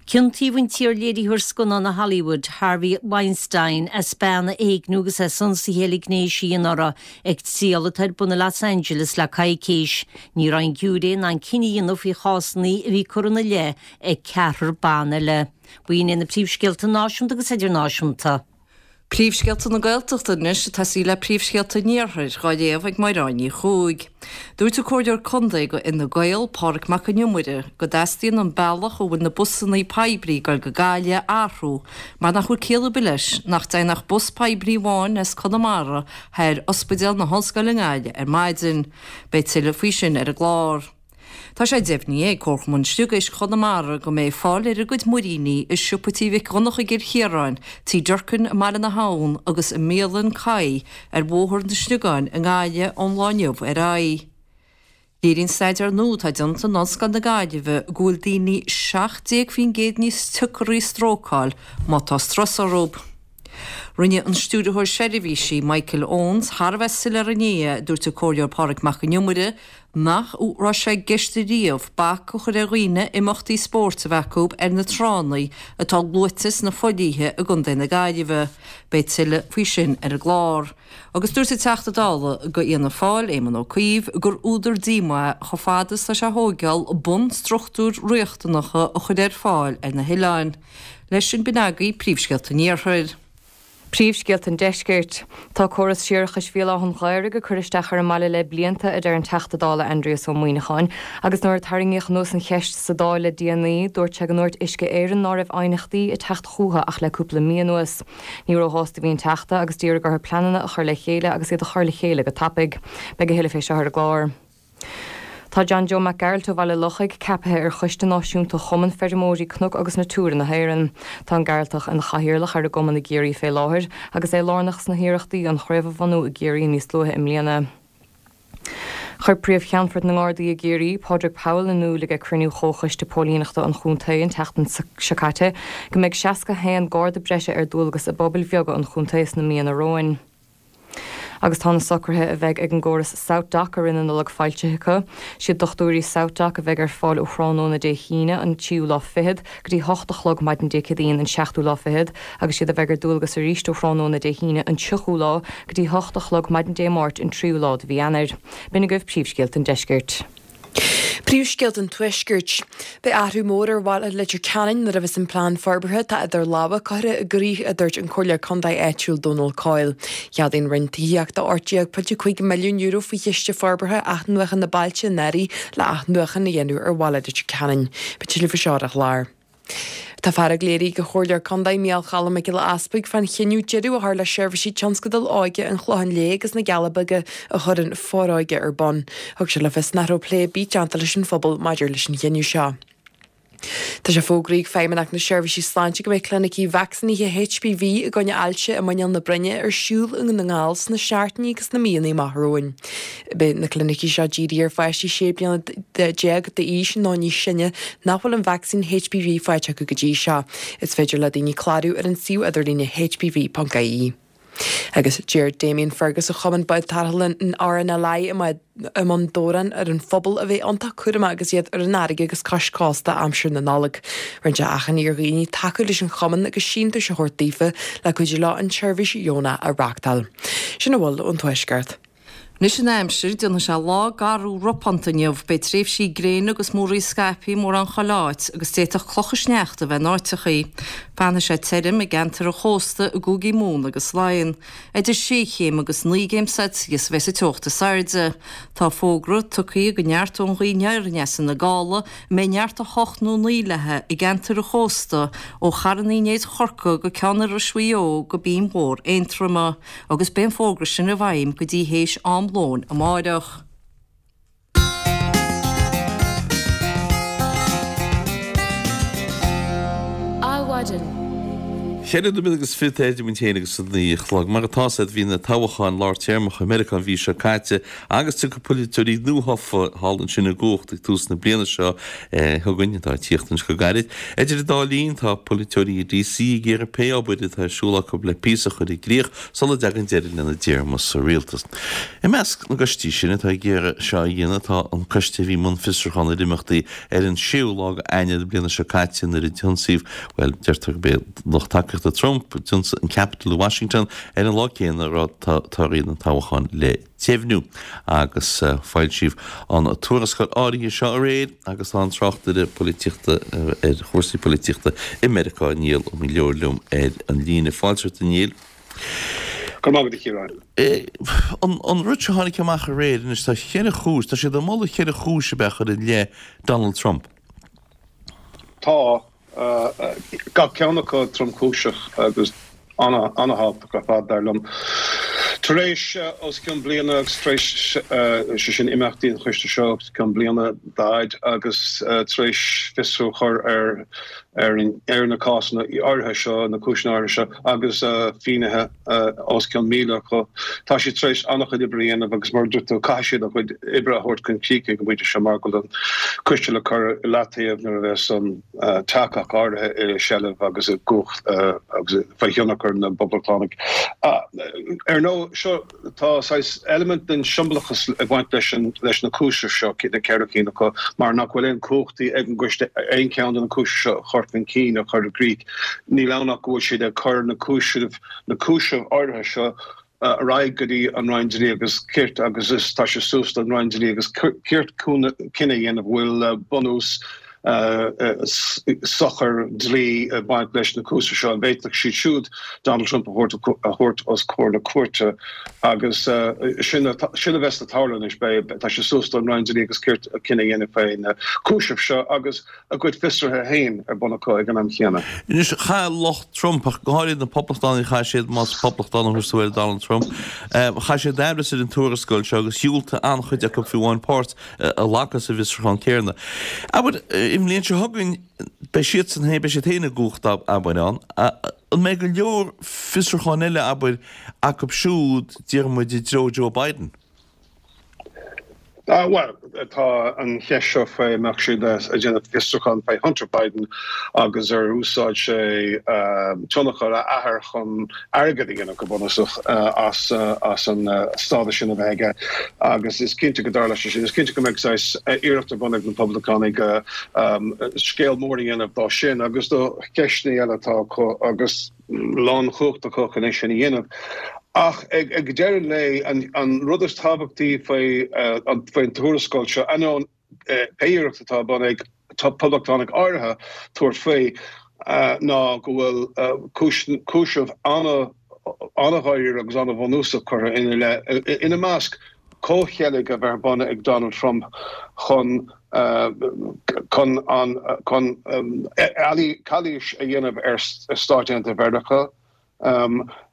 Ciontaíodh an t-iar-léiritheoir scannán i Hollywood, Harvey Weinstein, as bean a éigniú agus as ionsaithe eile gnéis a dhéanamh uirthi ag triail atá ar bun i Los Angeles le coicís. Ní raibh an giúiré in ann cinneadh a dhéanamh faoi chásanna a bhí curtha ina leith ag ceathrar ban eile. B'in iad na príomhscéalta náisiúnta agus idirnáisiúnta. Príomhscéalta na Gaeltachta anois ag tosaí le príomhscéalta an Iarthair, dhá léamh ag Mairéad Ní Chuaig. Dúirt an Comhairleoir Contae do Fhine Gael, Pádraig Mac Con Iomaire, go dteastaíonn an bealach a bhfuil na busanna poiblí ag dul go Gaillimh a athrú mar nach bhfuil ciall ar bith leis nach dtéann ach bus poiblí amháin as Conamara thar Ospidéal na hOllscoile i nGaillimh ar maidin. Beidh tuilleadh faoi sin ar an gclár. Tá sé deimhnithe ag Comharchumann Sliogéisc Chonamara go mbeidh fáil ar a gcuid muiríní i siopa Tí Mhic Dhonncha i gCill Chiaráin, Tí Durkin i mBaile na hAbhann agus i mbialann Kai ar Bhóthar na Sliogán i nGaillimh ón lá inniu ar aghaidh. Léiríonn staidéar nua atá déanta in Ollscoil na Gaillimhe go bhfuil daoine 17% níos tiocaraí strócáil má tá strus orthu. Rinne an Stiúrthóir Seirbhísí, Michael Owens, thar a bheith soiléir inné, a dúirt an Comhairleoir Pádraig Mac Con Iomaire, nach raibh sé i gceist ariamh bac a chur ar dhaoine imeachtaí spóirt a bheith acu ar na tránna atá luaite sna fodhlíthe i gContae na Gaillimhe. Beidh tuilleadh faoi sin ar an gclár. Agus dúirt an Teachta Dála do Fhianna Fáil, Éamon Ó Cuív, gur údar díomá é chomh fada is atá sé a thóigeáil bunstruchtúir riachtanacha a chur ar fáil ar na hoileáin. Leis sin b'in agaibh príomhscéalta an Iarthair. Príomhscéalta an Deiscirt. Tá córas séarachais Bhéal Átha an Ghaorthaidh ag cur isteach ar an mbaile le blianta, a deir an Teachta Dála Aindrias Ó Muimhneacháin, agus nuair a tarraingíodh anuas an cheist sa Dáil le déanaí, dúirt sé go ndúirt Uisce Éireann ná raibh aighneachtaí ag teacht chúthu ach le cúpla mí anuas. Ní róshásta a bhí an Teachta agus d'iarraidh orthu pleananna a chur le chéile agus iad a chur le chéile go tapaidh. Beidh a thuilleadh fé seo ar an gclár. Tá John Joe Mac Gearailt ó Bhaile Lochaigh ceapaithe ar Choiste Náisiúnta Chumann Feirmeoirí Cnoc agus Natura na hÉireann. Tá an Gearaltach ina chathaoirleach ar an gcumann i gCiarraí fé láthair agus é lárnach sna hiarrachtaí an chraobh a bhunú i gCiarraí níos luaithe i mbliana. Chuir Príomh-Cheannfort na nGardaí i gCiarraí, Pádraig Powell in iúl ag cruinniú Chomhchoiste Póilíneachta an chontae an tseachtain seo caite go mbeidh 61 Garda breise ar dualgas i bpobail bheaga an chontae sna míonna romhainn. Agus tá na socruithe a bheidh ag an gcóras SouthDoc i rith na Nollag foilsithe acu. Siad dochtúirí SouthDoc a bheidh ar fáil ó thráthnóna Dé hAoine an tríú lá fichead go dtí hocht a chlog maidin Dé Céadaoin an seachtú lá fichead agus siad a bheidh ar dualgas arís ó thráthnóna Dé hAoine an tríochú lá go dtí hocht a chlog maidin Dé Máirt an tríú lá de mhí Eanáir. B'in agaibh príomhscéalta an deiscirt. Príomhscéalta an Tuaiscirt. Beidh athrú mór ar bhaile Leitir Ceanainn nuair a bheas an plean forbartha atá idir lámha curtha i gcrích, a dúirt an Comhairleoir Contae áitiúil Dónal Coyle. Cheadaigh an Roinn Tithíochta €18.5 milliún faoi Chiste Forbartha Athnuachana Bailte anuraidh le athnuachan a dhéanamh ar bhaile Leitir Ceanainn. Beidh tuilleadh faoi seo ar an chlár. Tá fearg léirithe ag an Chomhairleoir Contae Micheál Choilm Mac Giolla Easpaig fán chinneadh deireadh a chur le seirbhísí tionscadail óige an Chlocháin Léith agus na gCealla Beaga a chuir an Foróige ar bun. Thug sé le fios nach raibh plé ar bith déanta leis an phobal maidir leis an chinneadh seo. Tá sé fógraithe ag Feidhmeannacht na Seirbhísí Sláinte go mbeidh clinicí vacsaínithe HPV i gcoinne ailse i muineál na broinne ar siúl i nDún na nGall sna seachtainí agus sna míonna amach romhainn. Beidh na clinicí seo dírithe ar pháistí 16 bliana d'aois nó níos sine nach bhfuil an vacsaín HPV faighte acu go dtí seo. Is féidir le daoine clárú ar an suíomh idirlíne hpv.ie. Agus d'iarr Damien Fergus ó Chumann Bád Tarrthála an RNLI i mBun Dobhráin ar an phobal a bheith iontach cúramach agus iad ar an fharraige agus cois cósta aimsir na Nollag. Rinne sé achainí ar dhaoine tacú leis an chumann agus síntiúis a thabhairt daofa le cuidiú leo an tseirbhís dheonach a reáchtáil. Sin a bhfuil ón Tuaisceart. Anois an aimsir, déanfaidh sé lá garbh ropánta inniu. Beidh tréimhsí gréine agus múraíl scaipthe mórán chuile áit agus d'fhéadfadh clocha sneachta a bheith in áiteachaí. Fanfaidh sé tirim i gceantar an chósta i gcúigí Mumhan agus Laighean. Idir sé chéim agus 9 gcéim Celsius a bheas an teocht is airde. Tá fógra tugtha go neartóidh an ghaoth aniar aneas ina gála, a mbeidh neart 8 nó 9 léi i gceantar an chósta ó Charn Uí Néid Chorcaí go Ceann Iorrais Mhaigh Eo go Binn Mhór Aontroma. agus beidh an fógra sin i bhfeidhm go dtí théis am lóin amáireach. Adhmhaidin. Cheithre nóiméad agus fichead idir muid féin agus a 9 a chlog. Mar atá fhios a'd bhí na toghcháin lár téarmacha i Meiriceá an mhí seo caite agus tiocfaidh polaiteoirí nuathofa thall ansin i gcumhacht ag tús na bliana seo chugainn, atá ag tíocht anois go gairid. Idir an dá linn, tá polaiteoirí i DC ag iarraidh pé obair atá ar siúl acu le píosa a chur i gcrích sula dtagann deireadh lena dtéarma sa rialtas. I measc na gcoistí sin atá ag iarraidh seo a dhéanamh tá an coiste a bhí i mbun fiosrúchán ar imeachtaí ar an séú lá de Eanáir na bliana seo caite nuair a d'ionsaíodh, bhuel, deirtear gurb é lucht tacaíochta Trump a d'ionsaigh an Capitol i Washington ar an lá céanna a raibh torthaí na toghchán le deimhniú agus foilsíodh an tuarascáil áirithe seo aréir agus tá an tráchtaire polaitíochta ar chúrsaí polaitíochta i Meiriceá, Niall Ó Maoileoin liom ar an líne. Fáilte romhat a Niall. Go raibh maith agat a Chiaráin. An rud seo a tháinig amach aréir anois, tá cheithre chúis, tá siad ag moladh cheithre chúis ab ea a chur i leith Donald Trump. Tá. Gach ceann acu tromchúiseach agus an-thábhachtach ar fad, dar liom. Tar éis os cionn bliana agus tar éis, sé sin, imeachtaí an choiste seo os cionn bliana d'fhaid agus tar éis fiosrú a chur ar ar na cásanna áirithe seo, na cúiseanna áirithe seo agus finnéithe os cionn 1,000 acu. Tá siad tar éis an-chuid oibre a dhéanamh agus mar a dúirt tú, caithfidh siad a gcuid oibre a thabhairt chun críche ag an bpointe seo mar go bhfuil an coiste le cur i leataobh nuair a bheas an teach ach áirithe i seilbh agus i gcumhacht agus faoi thionchar na bPoblachtánach. Ar ndóigh, seo Tá saghas eilimint den siombalachas ag baint leis an leis na cúisimh seo, na ceithre cinn acu, mar nach bhfuil aon chumhachtaí ag an gcoiste aon cheann de na cúisimh seo a chur chun cinn, a chur i gcrích. Níl ann ach go bhfuil siad ag cur na cúisimh na cúisimh áirithe seo ar aghaidh go dtí an Roinn Dlí agus Cirt agus is tá sé suas don Roinn Dlí agus Cirt cinneadh a dhéanamh bhfuil bunús sochair dlí ag baint leis na cúisimh seo, an bhféadfadh siad siúd Donald Trump a thabhairt os comhair na cúirte agus sin a bheas le tarlú anois. Beidh, tá sé suas don Roinn Dlí agus Cirt cinneadh a dhéanamh faoi na cúisimh seo agus a gcuid fiosruithe féin ar bun acu ag an am chéanna. Anois, chaith lucht Trump, ach go háirithe na Poblachtánaigh, chaith siad, más Poblachtánach thú ar Donald Trump, chaith siad aimhreas ar an tuarascáil seo agus dhiúltaigh an-chuid acu fiú amháin páirt a ghlacadh sa bhfiosrúchán céanna. Abair, an bhliain seo chugainn, beidh siadsan féin, beidh siad féin i gcumhacht, abair, ann. An mbeidh go leor fiosrúcháin eile, abair, acu siúd, déarfaidh muid, i dtreo Joe Biden? Bhuel, tá an cheist seo faoi an mbeadh siad ag déanamh fiosrúchán faoi Hunter Biden agus ar úsáid sé tionchar a athar chun airgead a dhéanamh, go bunúsach, as an stádas sin a bheith aige agus is cinnte go dtarlóidh sé sin. Is cinnte go mbeidh saghas iarracht ar bun ag na Poblachtánaigh scéal mór a dhéanamh dó sin agus do cheisteanna eile atá acu agus lánchumhacht acu chun é sin a dhéanamh. Ach ag deireadh an lae, an rud is tábhachtaí faoin tuarascáil seo, ainneoin pé iarracht atá ar bun ag poblachtánaigh áirithe tabhairt faoi, ná go bhfuil cúiseamh an-dháiríre agus an-bhunúsach curtha ina leith, ina measc, comhcheilg a bheith ar bun ag Donald Trump chun chun an chun calaois a dhéanamh ar Stáit Aontaithe Mheiriceá,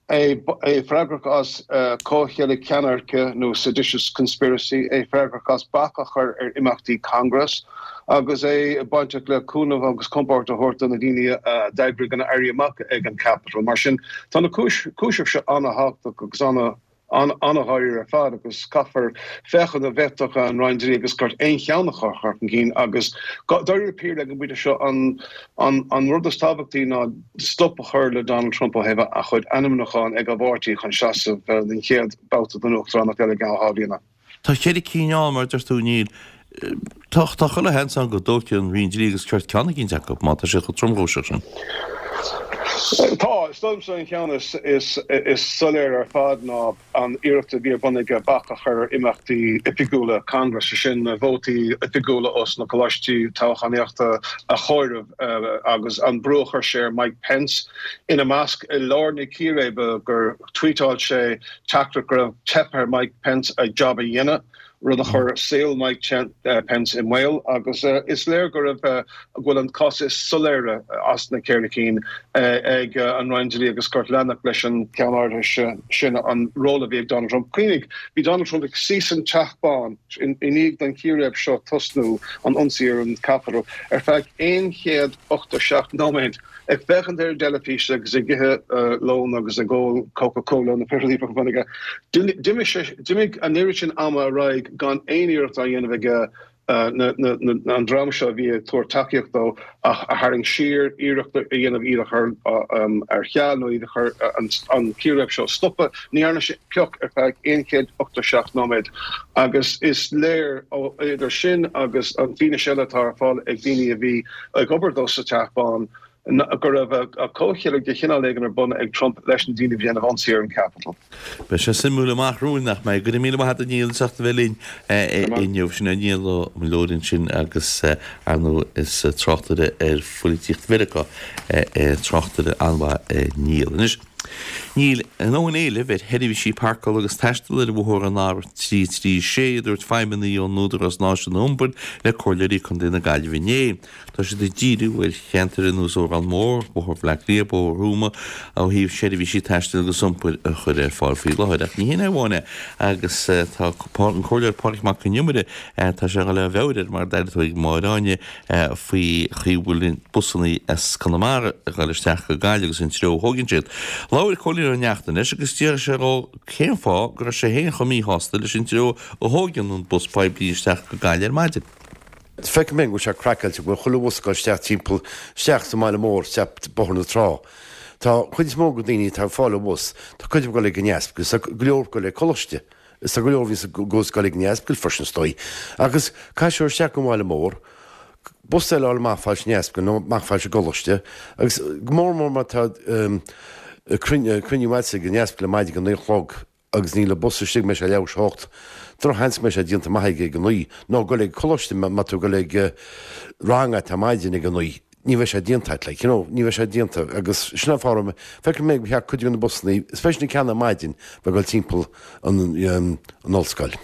é é freagrach as comhcheilg ceannairce nó seditious conspiracy, é freagrach as bac a chur ar imeachtaí Congress agus é bainteach le cúnamh agus compord a thabhairt do na daoine a d'eagraigh an éirí amach ag an Capitol. Mar sin, tá na cúisimh seo an-thábhachtach agus an- an-dháiríre ar fad agus caithfear féachaint an bhféadfadh an Roinn Dlí agus Cirt aon cheann acu a chur chun cinn agus dáiríre píre ag an bpointe seo an rud is tábhachtaí ná stop a chur le Donald Trump ó thaobh a chuid ainmniúchán ag an bpáirtí chun seasamh don chéad babhta den uachtaránacht eile i gceann 2 bhliana. Tá cheithre cinn ann, mar a deir tú, Neil. Tá chuile sheans ann go dtógfaidh an Roinn Dlí agus Cirt ceann eicínt acu, má tá siad chomh tromchúiseach sin. Tá. Is dóigh liomsa an ceann is soiléire ar fad ná an iarracht a bhí ar bun aige bac a chur ar imeachtaí oifigiúla Congress, sé sin na vótaí oifigiúla ós na coláistí toghchánaíochta a chomhaireamh agus an brú a chuir sé ar Mike Pence, ina measc, i lár na círéibe gur tvuíteáil sé teachtaireacht go raibh teipthe ar Mike Pence a job a dhéanamh, rud a chuir saol Mike Pence i mbaol agus is léir go raibh, go bhfuil an cás is soiléire as na ceithre cinn ag an Roinn Dlí agus Cirt leanacht leis an gceann áirithe sin, an ról a bhí ag Donald Trump. Cuimhnigh, bhí Donald Trump ag suí san Teach Bán i ndiaidh don chíréib seo tosnú, an ionsaí ar an Capitol, ar feadh 187 nóiméad. Ag féachaint ar an dteilifís agus ag ithe lón agus ag ól Coca Cola nó pé rud a bhí ar bun aige. D'imigh an oiread sin ama ar aghaidh gan aon iarracht á dhéanamh aige an dream seo a bhí ag tabhairt tacaíocht dó a tharraingt siar, iarracht a dhéanamh iad a chur ar ceal nó iad a chur an círéib seo a stopadh. Ní dhearna sé pioc ar feadh 187 nóiméad agus is léir ó idir sin agus an fianaise eile atá ar fáil ag daoine a bhí ag obair dó sa Teach Bán go raibh comhcheilg de chineál éigin ar bun ag Trump leis na daoine a bhí ag déanamh ionsaí ar an Capitol. Beidh sé suimiúil amach romhainn, nach mbeidh? Go raibh míle maith agat a Niall as ucht a bheith linn inniu. Sin é Niall Ó Muilleoir ansin agus ar ndóigh is tráchtaire ar phoilitíocht Mheiriceá é, tráchtaire an-mhaith é Niall. Anois, Níl a ndóthain éilimh ar sheirbhísí páirceála agus taistil ar bhóthar an R336, a dúirt feidhmeannaigh ón Údarás Náisiúnta Iompair le Comhairleoirí Contae na Gaillimhe inné. Tá siad ag díriú ar cheantair ar nós Órán Mór, Bóthar Bhaile Átha Cliath, Bóthar Thuama ó thaobh seirbhísí taistil agus iompair a chur ar fáil faoi láthair. Ach ní hin é amháin é agus tá an Comhairleoir Pádraig Mac Con Iomaire, tá sé ag dul ó mheabhair air mar a d'airigh tú ag Máire Áine, faoi chaoi a bhfuil busannaí as Conamara ag dul isteach go Gaillimh agus an treo a thóigeann siad. Labhair Cóilín Ó Neachtain leis agus d'fhiafraigh sé dhó cén fáth go raibh sé féin chomh míshásta leis an treo a thóigeann an bus poiblí isteach go Gaillimh ar maidin. Feicim féin go bhfuil sé craiceáilte go bhfuil chuile bhus ag dul isteach timpeall, isteach sa mbaile mór, isteach Bóthar na Trá. Tá cuid is mó de daoine atá ag fáil an bhus, tá cuid acu ag dul ag an Easpaig agus tá go leor ag dul ag coláiste. Is tá go leor a bhíonns ag dul ag an Easpaig freisin is dóigh. Agus caithfidh siad isteach go bhaile mór, bus eile a fháil amach fad leis an Easpaig nó amach fad leis an gcoláiste agus go mór mór má tá cruinniú agatsa ag an Easpaig ar maidin ag a naoi a chlog agus níl an bus istigh go mbeidh sé leathuair tar éis a hocht. Drochsheans go mbeidh sé déanta amach aige ag a naoi nó dul ag coláiste má tá tú ag dul ag rang agat ar maidin ag a naoi. Ní bheidh sé déanta agat, like, you know, ní bheidh sé déanta agus sin an fáth a raibh mé, feicim mé go cheart cuid de na busannaí, especially na ceanna ar maidin, bheith ag dul timpeall an, an ollscoil.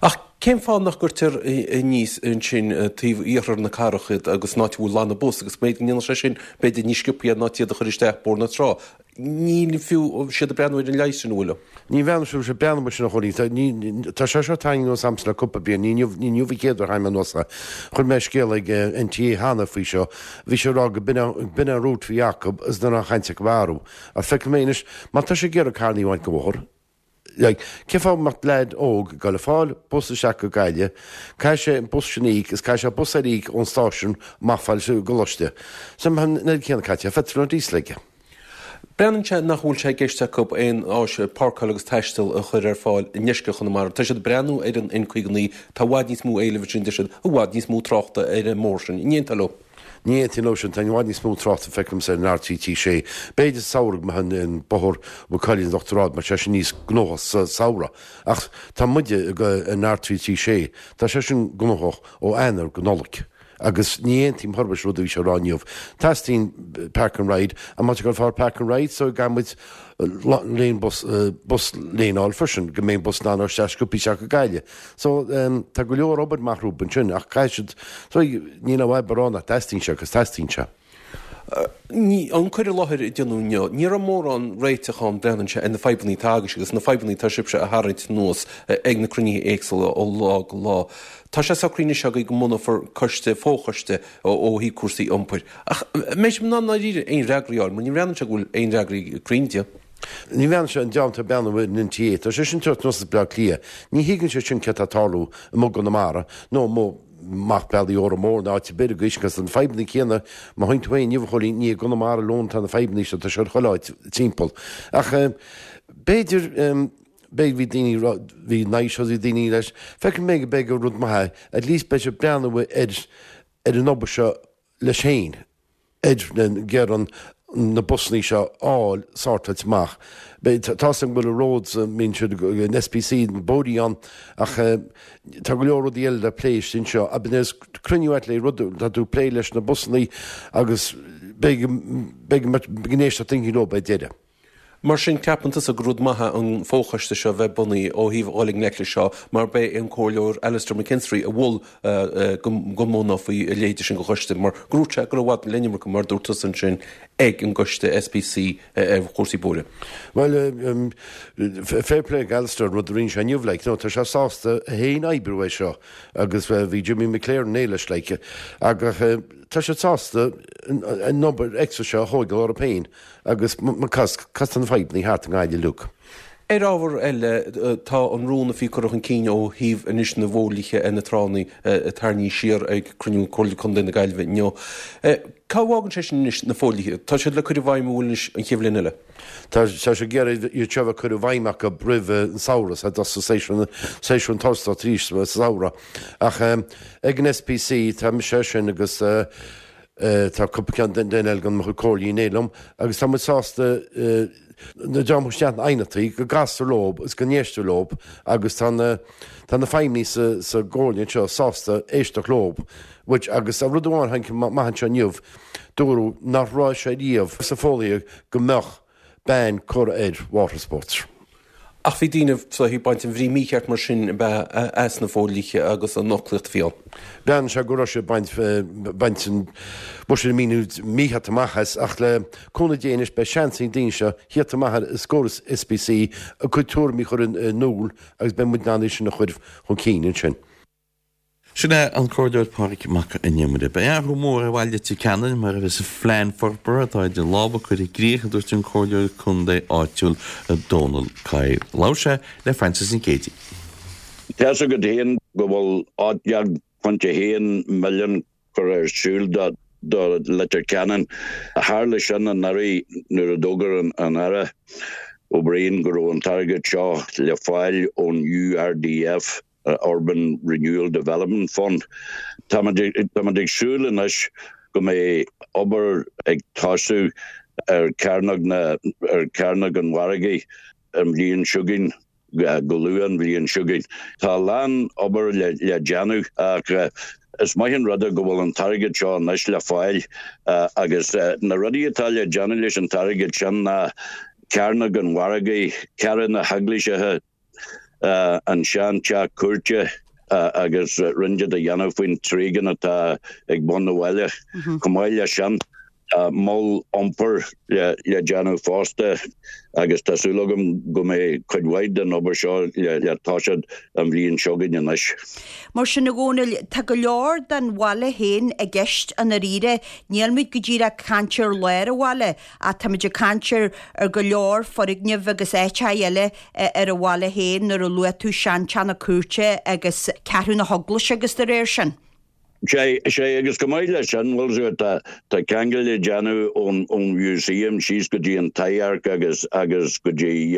Ach cén fáth nach gcuirtear aníos ansin taobh iarthar na cathrach iad agus an áit a bhfuil lána bus agus b'fhéidir go ndéanfadh sé sin b'fhéidir níos sciobthaí iad ná iad a chur isteach Bóthar na Trá. Níl fiú siad ag breathnú ar an leigheas sin, an bhfuil? Ní bhreathnaigh siad, siad breathnú mar sin a Chóilín. Tá, ní, tá sé seo tarraingthe anuas a'msa le cúpla bliain, ní inniu, ní inniu an chéad uair a tharraing mé anuas é. Chuir mé scéal ag NTA cheana faoi seo, bhí sé ag rá go b'in an, b'in an route a bhí acu agus ní raibh aon chaint acu athrú. Ach feicim mé anois, má tá sé ag iarraidh carrannaí a bhaint den bhóthar. Like, cén fáth a mbeadh leaid óg ag dul ag fáil bus isteach go Gaillimh, caithfidh sé an bus sin a íoc is caithfidh sé bus eile a íoc ón stáisiún amach fad leis an gcoláiste. So an oiread céanna caite ar phetrol nó diesel aige. Breathnaíonn sé nach bhfuil sé i gceist acu aon áis páirceáil agus taistil a chur ar fáil i ndeisceart Chonamara. Tá siad ag breathnú ar an N59, tá i bhfad níos mó éilimh ansin, deir siad, i bhfad níos mó tráchta ar an mbóthar sin. An aontófá leo? Ní aontaím leo sin, tá i bhfad níos mó tráchta feicim ar an R336. B'fhéidir sa samhradh go mbeadh an bóthar Mhaigh Cuilinn Uachtar Ard mar tá sé sin níos gnóthach sa samhradh. Ach tá muide ag an R336, tá sé sin gnóthach ó Eanáir go Nollaig. Agus ní aontaím chor ar bith leis an rud a bhí sé a rá inniu. Teastaíonn park and ride, ach má tá ag dul fáil park and ride so caithfidh muid lane bus, bus lane a fháil freisin, go mbeidh an bus in ann isteach sciobtha isteach go Gaillimh. So, tá go leor obair amach rompu ansin ach caithfidh siad, so, níl aon fhadhb a rá nach dteastaíonn sé, 'cause teastaíonn sé. An cur i láthair a déanadh inniu, ní raibh mórán réiteach ann, breathnaíonn sé, ar na fadhbanna atá agaibhse agus na fadhbanna atá sibhse a tharraingt anuas ag na cruinnithe éagsúla ó lá go lá. Tá sé socraithe anois agaibh go mbunófar coiste, fochoiste ó thaobh cúrsaí iompair. Ach an mbeidh sibh in ann dáiríre aon fhreagraí a fháil, mar ní bhreathnaíonn sé go bhfuil aon fhreagraí cruinn de. Ní bhreathnaíonn sé an dream atá ag breathnú ar an NTA, tá sé sin ag teacht anuas as Baile Átha Cliath, ní thuigeann siad sin céard atá ag tarlú amuigh i gConamara nó amuigh amach bealaí Órán Mór nó áit ar bith agaibh agus na fadhbanna céanna, má thuigeann tú féin inniu a Chóilín, ní i gConamara alone atá na fadhbanna seo, tá sé ar chuile áit timpeall. Ach b'fhéidir, b'fhéidir bhí daoine, bhí nice bhí daoine leis, feicim mé go beidh gur rud maith é, at least beidh siad ag breathnú ar ar an obair seo leis féin. ar gearán na busannaí seo a fháil sortáilte amach. Tá's agam go bhfuil roads, mbíonn siad an SPC, na bóithrí ann ach tá go leor rudaí eile le plé istigh anseo. Agus cruinniú ait le rud, tá tú ag plé leis na busannaí agus beidh beidh go n-éisteacht duine leo ar deireadh. Mar sin, ceapann tusa gur rud maith é an fochoiste seo a bheith bunaithe ó thaobh dhul i ngleic leis seo mar b'é an Comhairleoir Alastair McKinstry a mhol go mbunófaí a leithéide sin de choiste mar gur dhúirt sé go raibh i bhfad an iomarca, mar a dúirt tusa ansin, ag an gcoiste SPC ar chúrsaí bóithre. Bhuel, fair play ag Alastair an rud a rinne sé inniu, like, no, tá sé sásta é féin oibriú é seo agus bhí Jimmy McLaren inné leis, like, agus tá siad sásta an obair extra seo a thóigeáil orthu féin. Agus cos tá na fadhbannaí thart i nGaillimh uilig. Ar ábhar eile, tá an rún a bhí curtha chun cinn ó thaobh anois na bhfodhlíthe ar na tránna tarraingthe siar ag cruinniú Comhairle Contae na Gaillimhe inniu. Cá bhfágann sé sin anois na fodhlíthe? Tá siad le cur i bhfeidhm an bhfuil anois an chéad bhliain eile? Tá sé ag iarraidh iad seo a bheith curtha i bhfeidhm acu roimh an samhradh, sa séasúr séasúr an turasóireachta arís sa samhradh. Ach ag an SPC tá mise sin agus Tá cúpla ceann den eile den mo chuid comhairlí inné liom agus tá muid sásta na dream isteach na aighneachtaí go gcastar leo is go n-éistear leo agus tá na tá na feidhmeannaigh sa sa gcomhairle anseo sásta éisteacht leo which agus tá rud amháin tháinig amach anseo inniu dúradh nach raibh sé riamh sa fodhlíthe go mbeadh ban curtha ar water sports. Ach bhí daoine ag baint an bhrí mícheart mar sin ab ea as na fodhlíthe agus an fhoclaíocht a bhí ann. Breathnaíonn sé go raibh siad ag baint baint an bhfuair siad an míniú mícheart amach as ach le cúnamh Dé anois beidh seans ag na daoine seo thíocht amach ar os comhair SPC a gcuid tuairimí a chur in iúl agus beidh muid in ann é sin a chur chun cinn ansin. Sin é an Comhairleoir Pádraig Mac an Iomaire. Beidh athrú mór ar bhaile Leitir Ceanainn mar a bheas an phlean forbartha atá idir lámha curtha i gcrích, a dúirt an Comhairleoir Contae áitiúil Dónal Coyle. Labhair sé le Frances Nic Géadaigh. Tá's agat féin go bhfuil 18.1 milliún curtha ar siúl do Leitir Ceanainn. Tharla sin anuraidh nuair a d'fhógair an Aire O'Brien go raibh an t-airgead seo le fáil ón URDF. Urban Renewal Development Fund. Táimid ag súil anois go mbeidh obair ag tosú ar Chearnóg na ar Chearnóg an Mhargaidh an bhliain seo chugainn, go luath an bhliain seo chugainn. Tá a lán obair le déanamh ach is maith an rud é go bhfuil an t-airgead seo anois le fáil agus na rudaí atá le déanamh leis an t-airgead sin ná Cearnóg an Mhargaidh, Carraig na hEaglaise, an sean-teach cúirte agus roinnt a dhéanamh faoin tréigean atá ag bun an bhaile. Chomh maith leis sin. Tá mol iompair le déanamh fosta agus tá súil agam go mbeidh cuid mhaith den obair seo le toiseacht an bhliain seo chugainn anois. Mar sin, a Dhónaill, tá go leor den bhaile féin i gceist i ndáiríre. Níl muid go díreach ag caint ar lár an bhaile ach táimid ag caint ar ar go leor foirgneamh agus áiteacha eile ar an bhaile féin nuair a luaigh tú seanteach na cúirte agus Ceathrú na hEaglaise agus dá réir sin. Sea, sea, agus chomh maith leis sin, bhfuil 's agat, tá ceangal le déanamh ón Museum síos go dtí an Taibhdhearc agus, agus go dtí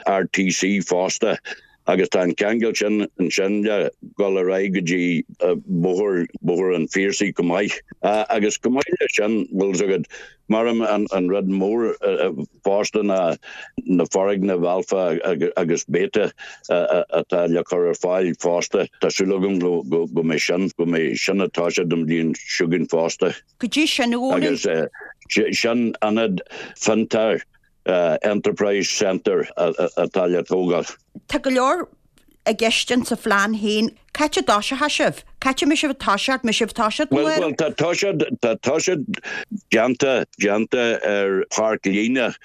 RTC fosta agus tá an ceangal sin ansin le dul ar aghaidh go dtí Bóthar, Bóthar an Phiarsaigh chomh maith. Agus chomh maith leis sin, bhfuil 's agat, Mar an rud mór fosta ná na foirgnimh Alpha agus Beta atá le cur ar fáil fosta. Tá súil agam go mbeidh sin, go mbeidh sin ag toiseacht an bhliain seo chugainn fosta. Goidé sin, a Dhónaill. Agus sin ionad fiontair, Enterprise Centre, atá le tógáil. Tá go leor i gceist in sa phlean féin. Cá háit a dtoiseochaidh sibh? Cá háit a mbeidh sibh ag toiseacht? Mbeidh sibh ag toiseacht Bhuel, bhuel, tá toiseacht, tá toiseacht déanta, déanta ar Pháirc Líne,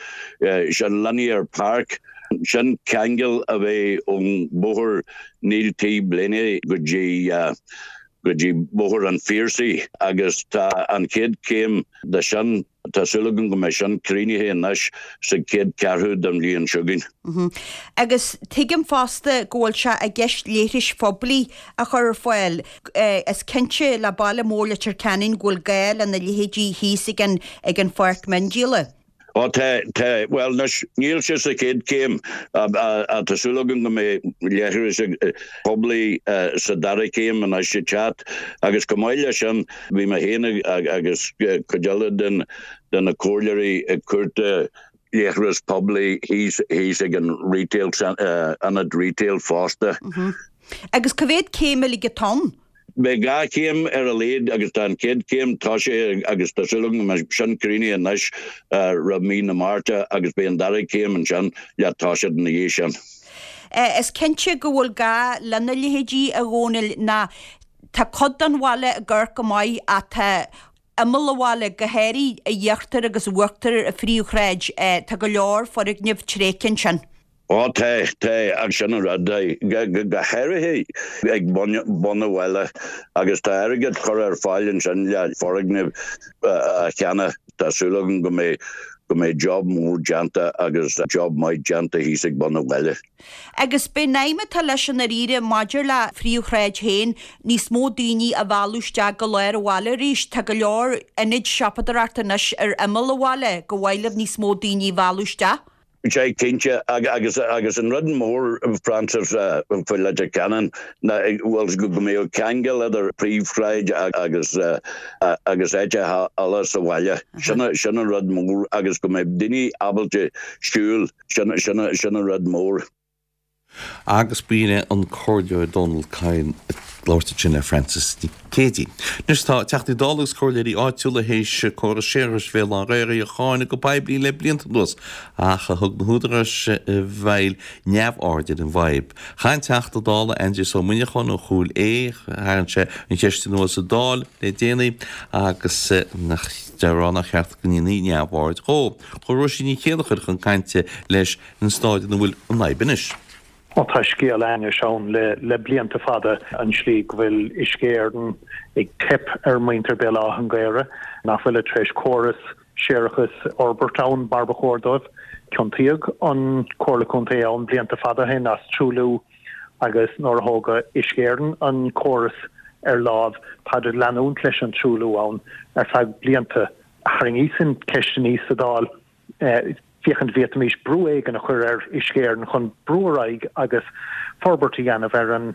sin Linear Park. Sin ceangal a bheidh ón bhóthar Neil T. Blaney go dtí, go dtí Bóthar an Phiarsaigh agus tá an chéad chéim de sin Tá súil agam go mbeidh sin críochnaithe anois sa chéad cheathrú den bhliain seo chugainn. Agus tuigim fosta go bhfuil sé i gceist leithris phoiblí a chur ar fáil. Is cinnte le baile mór Leitir Ceanainn go bhfuil gá lena leithéidí thíos ag an ag an pháirc miondíola. Ó tá, tá. Bhuel anois, níl sé sa chéad chéim ach tá súil agam go mbeidh leithris poiblí sa dara céim anois ag teacht agus chomh maith leis sin, Bhí mé féin agus cuid eile de na comhairleoirí ag cuartú leithreas poiblí thíos ag an retail, ionad retail fosta. Agus cá mhéad céim uilig atá ann? Beidh 2 chéim ar a laghad agus tá an chéad chéim tosaithe agus tá súil agam go mbeidh sin críochnaithe anois roimh mí na Márta agus beidh an dara céim ansin le toiseacht ina dhiaidh sin. Is cinnte go bhfuil gá lena leithéidí, a Dhónaill, ná Tá cuid den bhaile ag amharc go maith ach tá imeall an bhaile, go háirithe íochtar agus uachtar an phríomhshráid, tá go leor foirgneamh tréigthe ansin. Ó tá, tá, agus sin an rud, go háirithe ag bun an bhaile agus tá airgead curtha ar fáil ansin le foirgneamh a cheannach. Tá súil agam go mbeidh, go mbeidh job mór déanta agus job maith déanta thíos ag bun an bhaile. Agus b'é an aidhm atá leis i ndáiríre maidir le phríomhshráid féin, níos mó daoine a mhealladh isteach go lár an bhaile arís. Tá go leor ionaid siopadóireachta anois ar imeall an bhaile gur mhaith libh níos mó daoine a mhealladh isteach. Sea, cinnte. Agus agus an rud mór, Frances, faoi Leitir Ceanainn ná bhuel go mbeadh ceangal idir príomhshráid agus agus áiteacha eile sa bhaile. Sin sin an rud mór agus go mbeadh daoine ábalta siúl Sin, sin, sin an rud mór. Agus b'in é an Comhairleoir Dónal Kyne ag labhairt ansin le Frances Nic Géadaigh. Anois tá Teachtaí Dála agus Comhairleoirí áitiúla théis córas séarachais Bhéal Átha an Ghaorthaidh a cháineadh go poiblí le blianta anuas ach thug na húdaráis i bhfeighil neamhaird ar an bhfadhb. Cháin Teachta Dála Aindrias Ó Muineacháin ó Chúil Aodha, tharraing sé an cheist anuas sa Dáil le déanaí agus á rá nár cheart go ndéanfaí neamhaird dhó. Chuaigh Róisín Ní Chéilleachair chun cainte leis an stáid ina bhfuil an fhadhb anois. Ó tá scéal ainnis ann le blianta fada, an tslí go bhfuil Uisce Éireann ag teip ar mhuintir Béal Átha an Ghaorthaidh, nach bhfuilid tar éis córas séarachais a fhorbairt ann mar ba chóir dóibh. Ciontaíodh an Comhairle Contae ann blianta fada ó shin as truailliú agus nuair a thóg Uisce Éireann an córas ar láimh, táid ag leanúint leis an truailliú ann ar feadh blianta. Tharraingíos an cheist aníos sa Dáil féachaint bhféadfaimis brú éigin a chur ar Uisce Éireann chun brú ar aghaidh agus forbairt a dhéanamh ar an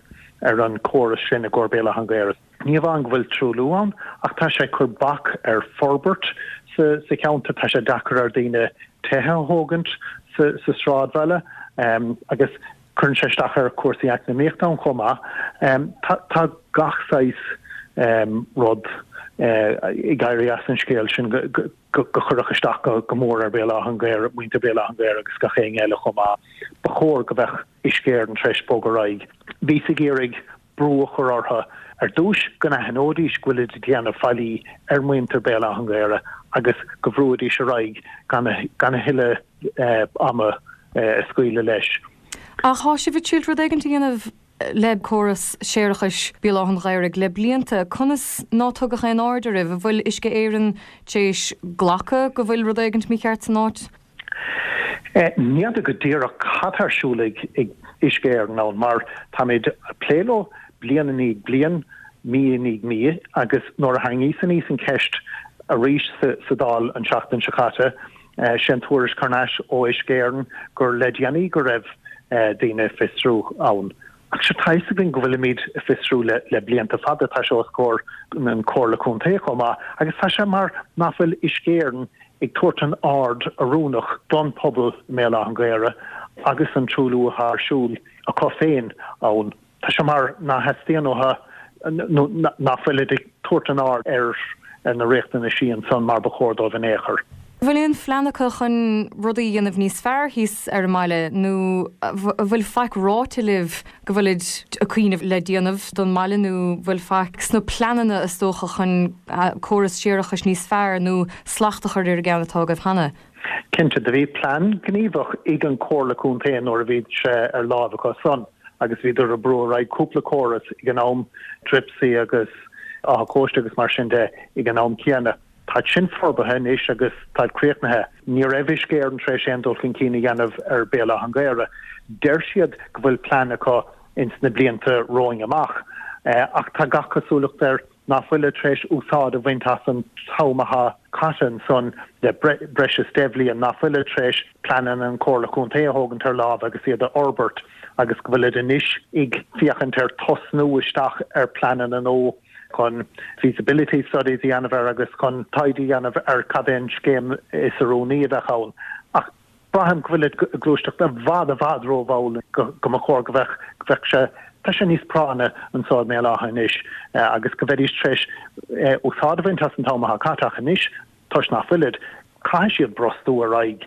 ar an córas sin i gcomhair Béal Átha an Ghaorthaidh. Ní amháin go bhfuil truailliú ann ach tá sé ag cur bac ar forbairt sa sa cheantar, tá sé deacair ar daoine tithe a thógaint sa sa sráidbhaile agus Cuireann sé isteach ar chúrsaí eacnamaíochta ann chomh maith. Tá gach saghas rud ag éirí as an scéal sin go chuirfeadh isteach go mór ar Bhéal Átha an Ghaorthaidh, muintir Bhéal Átha an Ghaorthaidh agus gach éinne eile chomh maith. Ba chóir go mbeadh Uisce Éireann tar éis bogadh ar aghaidh. Bhíos ag iarraidh brú a chur orthu. Ar dtúis, go n-aithneoidís go bhfuilid ag déanamh faillí ar mhuintir Béal Átha an Ghaorthaidh agus go bhrúidís ar aghaidh gan a thuilleadh ama a scaoileadh leis. Ach tá sibh ag triail rud éigin a dhéanamh le córas séarachais Béal Átha an Ghaorthaidh le blianta. Conas ná tugadh aon aird oraibh? An bhfuil Uisce Éireann tar éis glacadh go bhfuil rud éigin mícheart san áit? Ní fheadar go díreach cad tá ar siúl ag Uisce Éireann ann mar táimid ag plé leo bliain i ndiaidh bliain, mí i ndiaidh mí agus nuair a tharraingíos aníos an cheist arís sa Dáil an tseachtain seo caite, sé an tuairisc thar n-ais ó Uisce Éireann gur le déanaí go raibh daoine ag fiosrú ann. Ach sure tá fhios againn go bhfuilimid ag fiosrú le blianta fada, tá sé os comhair an Comhairle Contae chomh maith agus tá sé mar nach bhfuil Uisce Éireann ag tabhairt an aird oiriúnach don pobal i mBéal Átha an Ghaorthaidh agus an truailliú atá ar siúl acu féin ann. Tá sé mar nach theastaíonn uathu nó nach bhfuilid ag tabhairt an aird ar na riachtanaisí ansan mar ba chóir dóibh in aon chor. An bhfuil aon phlean acu chun rudaí a dhéanamh níos fearr thíos ar an mbaile nó an bhfuil faic ráite libh go bhfuilid ag cuimhneamh le déanamh don mbaile nó an bhfuil faic sna pleananna is dócha chun córas séarachais níos fearr nó slacht a chur ar an gceann atá agaibh cheana? Cinnte, do bhí plean gníomhach ag an Comhairle Contae nuair a bhí sé ar láimh acu san agus bhíodar ag brú ar aghaidh cúpla córas ag an am, Dripsey agus Áth Cóiste agus mar sin de ag an am céanna. Táid sin forbartha anois agus táid críochnaithe. Ní raibh Uisce Éireann tar éis aon dul chun cinn a dhéanamh ar Béal Átha an Ghaorthaidh. Deir siad go bhfuil plean acu ins na blianta romhainn amach ach tá gach cosúlacht air nach bhfuilid tar éis úsáid a bhaint as an t-am atá caite ansan le breis is deich bhliain, nach bhfuilid tar éis pleananna an Chomhairle Contae a thógaint ar láimh agus iad a fhorbairt agus go bhfuilid anois ag féachaint ar tosnú isteach ar pleananna nua. chun feasibility studies a dhéanamh air agus chun taighde a dhéanamh ar cad é an scéim is oiriúnaí a bheadh ann. Ach braithim go bhfuilid ag gluaisteacht i bhfad i bhfad rómhall go mba chóir go bheadh, go bheadh sé, tá sé níos práinne anso i mBéal Átha anois agus go mbeidís tar éis úsáid a bhaint as an t-am atá caite ach anois toisc nach bhfuilid, caithfidh siad brostú ar aghaidh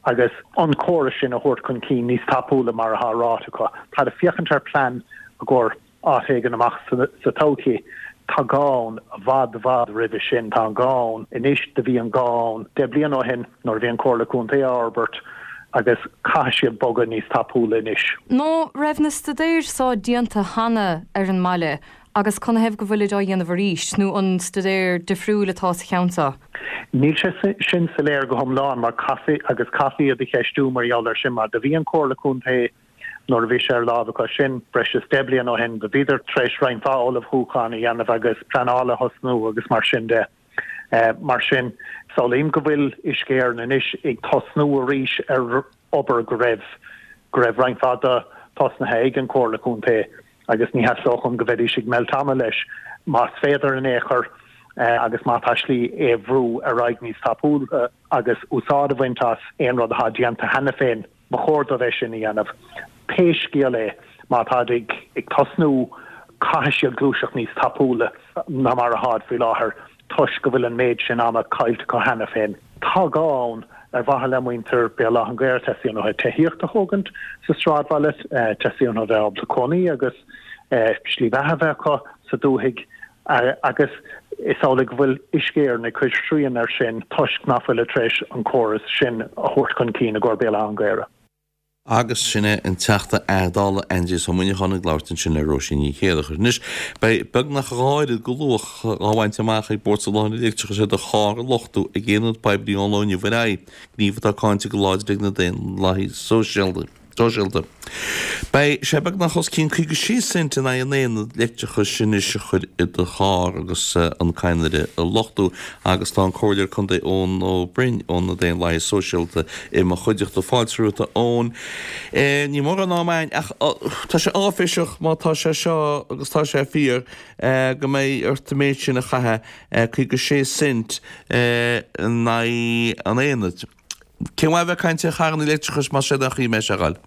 agus an córas sin a thabhairt chun cinn níos tapúla mar atá ráite acu. Táid ag féachaint ar plean i gcomhair áit éigin amach sa todhchaí. Tá gá ann i bhfad i bhfad roimhe sin. Tá an gá ann anois. Do bhí an gá ann deich bliana ó shin nuair a bhí an Comhairle Contae á fhorbairt agus caithfidh siad bogadh níos tapúla anois. Ná raibh na staidéir so déanta cheana ar an mbaile agus canathaobh go bhfuilid á dhéanamh arís, nó an staidéar difriúil atá sa cheann so? Níl sé sin soiléir go hiomlán mar caithfí agus caithfí iad a cheistiú mar gheall air sin mar do bhí an Comhairle Contae Nuair a bhí sé ar láimh acu sin, breis is deich bliana ó shin, do bhíodar tar éis roinnt mhaith ullmhúchán a dhéanamh agus pleanáil a thosnú agus mar sin de. Mar sin, samhlaím go bhfuil Uisce Éireann anois ag tosnú arís ar obair go raibh, go raibh roinnt mhaith de tosnaithe ag an Chomhairle Contae agus ní theastódh uaim go mbeidís ag meilt ama leis. Más féidir in aon chor agus má tá slí é a bhrú ar aghaidh níos tapúla agus úsáid a bhaint as aon rud atá déanta cheana féin, Ba chóir dóibh é sin a dhéanamh. Pé scéal é, má táid ag tosnú, caithfidh siad gluaiseacht níos tapúla ná mar atáid faoi láthair toisc go bhfuil an méid sin ama caillte acu cheana féin. Tá gá ann, ar mhaithe le muintir Béal Átha an Ghaorthaidh, teastaíonn uathu tithíocht a thógaint sa sráidbhaile, teastaíonn uathu bheith ábalta cónaí agus slí bheatha a bheith acu sa dúthaigh. Agus is amhlaidh go bhfuil Uisce Éireann ag cur srian air sin toisc nach bhfuilid tar éis an córas sin a thabhairt chun cinn i gcomhair Béal Átha an Ghaorthaidh. Agus sin é an Teachta Dála Aindrias Ó Muineacháin ag labhairt ansin le Róisín Ní Chéileachair. Anois, beidh beagnach a dhá oiread de luach á bhaint amach ag Bord Soláthair an Leictreachais ar do charr a luchtú ag aonad poiblí ón lá inniu ar aghaidh, gníomh atá cáinte go láidir ag na Daonlathaithe Sóisialta. Sóisialta. Beidh sé beagnach os cionn 56 cent in aghaidh an aonad leictreachais anois a chur i do charr agus an cadhnra a luchtú agus tá an Comhairleoir Contae Eoin Ó Broin ó na Daonlathaithe Sóisialta i mo chuideachta. Fáilte romhat a Eoin. Níl mórán ama againn ach tá sé áiféiseach má tá sé seo agus tá sé fíor go mbeidh ort an méid sin a chaitheamh, 56 cent in aghaidh an aonaid. Cén mhaith a bheith ag caint ar charranna leictreachais más é an chaoi a mbeidh sé a ghoil?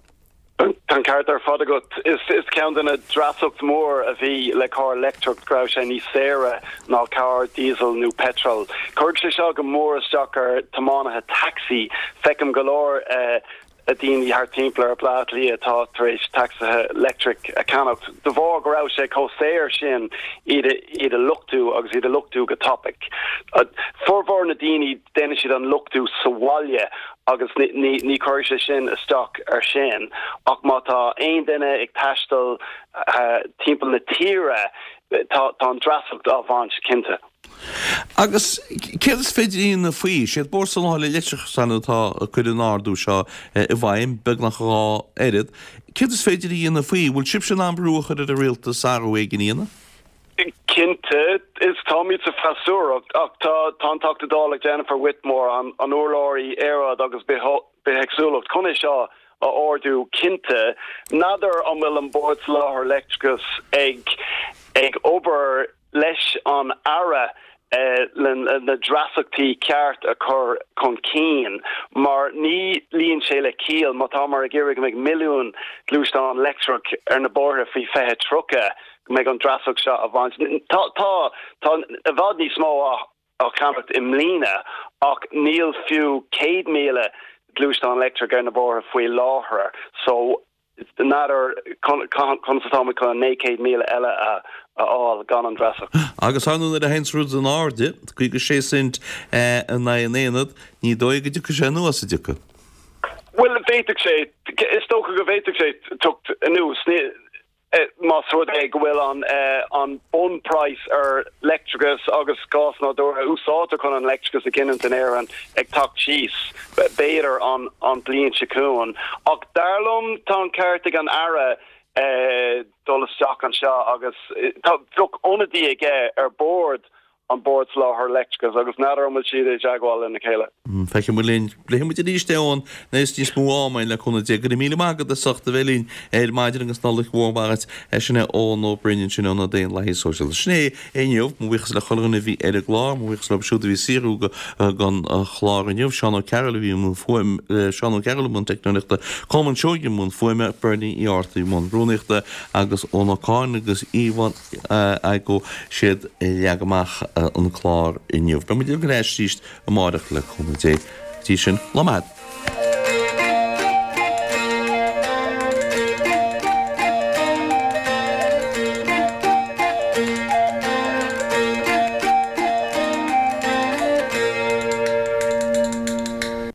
Tá an ceart ar fad agat. Is ceann de na dreasacht mór a bhí le carr leictreach go raibh sé níos saoire ná carr diesel nó petrol. Cuirfidh sé seo go mór isteach ar tiománaithe taxi. Feicim go leor. daoine thart timpeall ar Bhaile Átha Cliath atá tar éis tacsaithe leictreach a cheannacht de bharr go raibh sé chomh saor sin iad iad a luchtú agus iad a luchtú go tapaidh. Formhór na daoine déanann siad an luchtú sa bhaile agus ní ní chuirfidh sé sin isteach ar sin ach má tá aon duine ag taisteal timpeall na tíre tá tá an dreasacht á bhaint cinnte. Agus céard is féidir a dhéanamh faoi? Is iad Bord Soláthair Leictreachais atá ag cur an ardú seo i bhfeidhm, beagnach a dhá oiread. Céard is féidir a dhéanamh faoi? Bhfuil sibhse in ann brú a chur ar an rialtas athrú éigin a dhéanamh? Cinnte, is táimid sa freasúracht ach tá tá an Teachta Dála Jennifer Whitmore, an an urlabhraí aeráid agus bithéagsúlacht chun é seo a ardú. Cinnte, n'fheadar an bhfuil an Bord Soláthair Leictreachais ag ag obair leis an Aire le na dreasachtaí ceart a chur chun cinn mar ní luíonn sé le ciall má táimid ag iarraidh go mbeidh milliún gluaisteán leictreach ar na bóithre faoi 2030 go mbeidh an dreasacht seo á bhaint. Tá tá tá i bhfad níos mó á á cheannacht i mbliana ach níl fiú 100,000 gluaisteán leictreach ar na bóithre faoi láthair so N'fheadar conas atáimid chun an 900,000 eile a fháil gan an dreasacht. Agus ar ndóigh nuair a théanns rud in airde, 56 cent in aghaidh an aonad, ní dóigh go dtiocfaidh sé anuas, an dtiocfaidh? Bhuel, bhféadfadh sé, is dócha go bhféadfadh sé teacht anuas. Más rud é go bhfuil an an bunphraghas ar leictreachas agus gás nádúrtha a úsáidtear chun an leictreachas a ghiniúint in Éirinn ag teacht síos, b'fhéidir an an bliain seo chugainn. Ach dar liom tá an ceart ag an Aire dul isteach anseo agus tá bheadh ionadaí aige ar bord an Bord Soláthair Leictreachais agus n'fheadar an bhfuil siad i dteagmháil lena chéile. Feicfidh muid linn. Pléifidh muid arís é Eoin nuair is níos mó ama againn le cúnamh Dé. Go raibh míle maith agat as ucht a bheith linn ar maidin agus Nollaig mhór mhaith duit. Sin é Eoin Ó Broin ansin ón Daonlathaí Sóisialta. Sin é inniu. Mo bhuíochas le chuile dhuine a bhí ar an gclár. Mo bhuíochas leo siúd a bhí ag saothrú don chlár inniu. Seán Ó Cearúil a bhí i mbun fuaim, Seán Ó Cearúil i mbun teicneolaíochta, Colmán Seoighe i mbun fuaime, Bernie Uí Ártaigh i mbun rúnaíochta agus Eoin Ó Cadhain agus Yvonne Igoe siad a leag amach an clár inniu. Beidh muid ar ais arís amárach le cúnamh Dé. Go dtí sin, lá maith.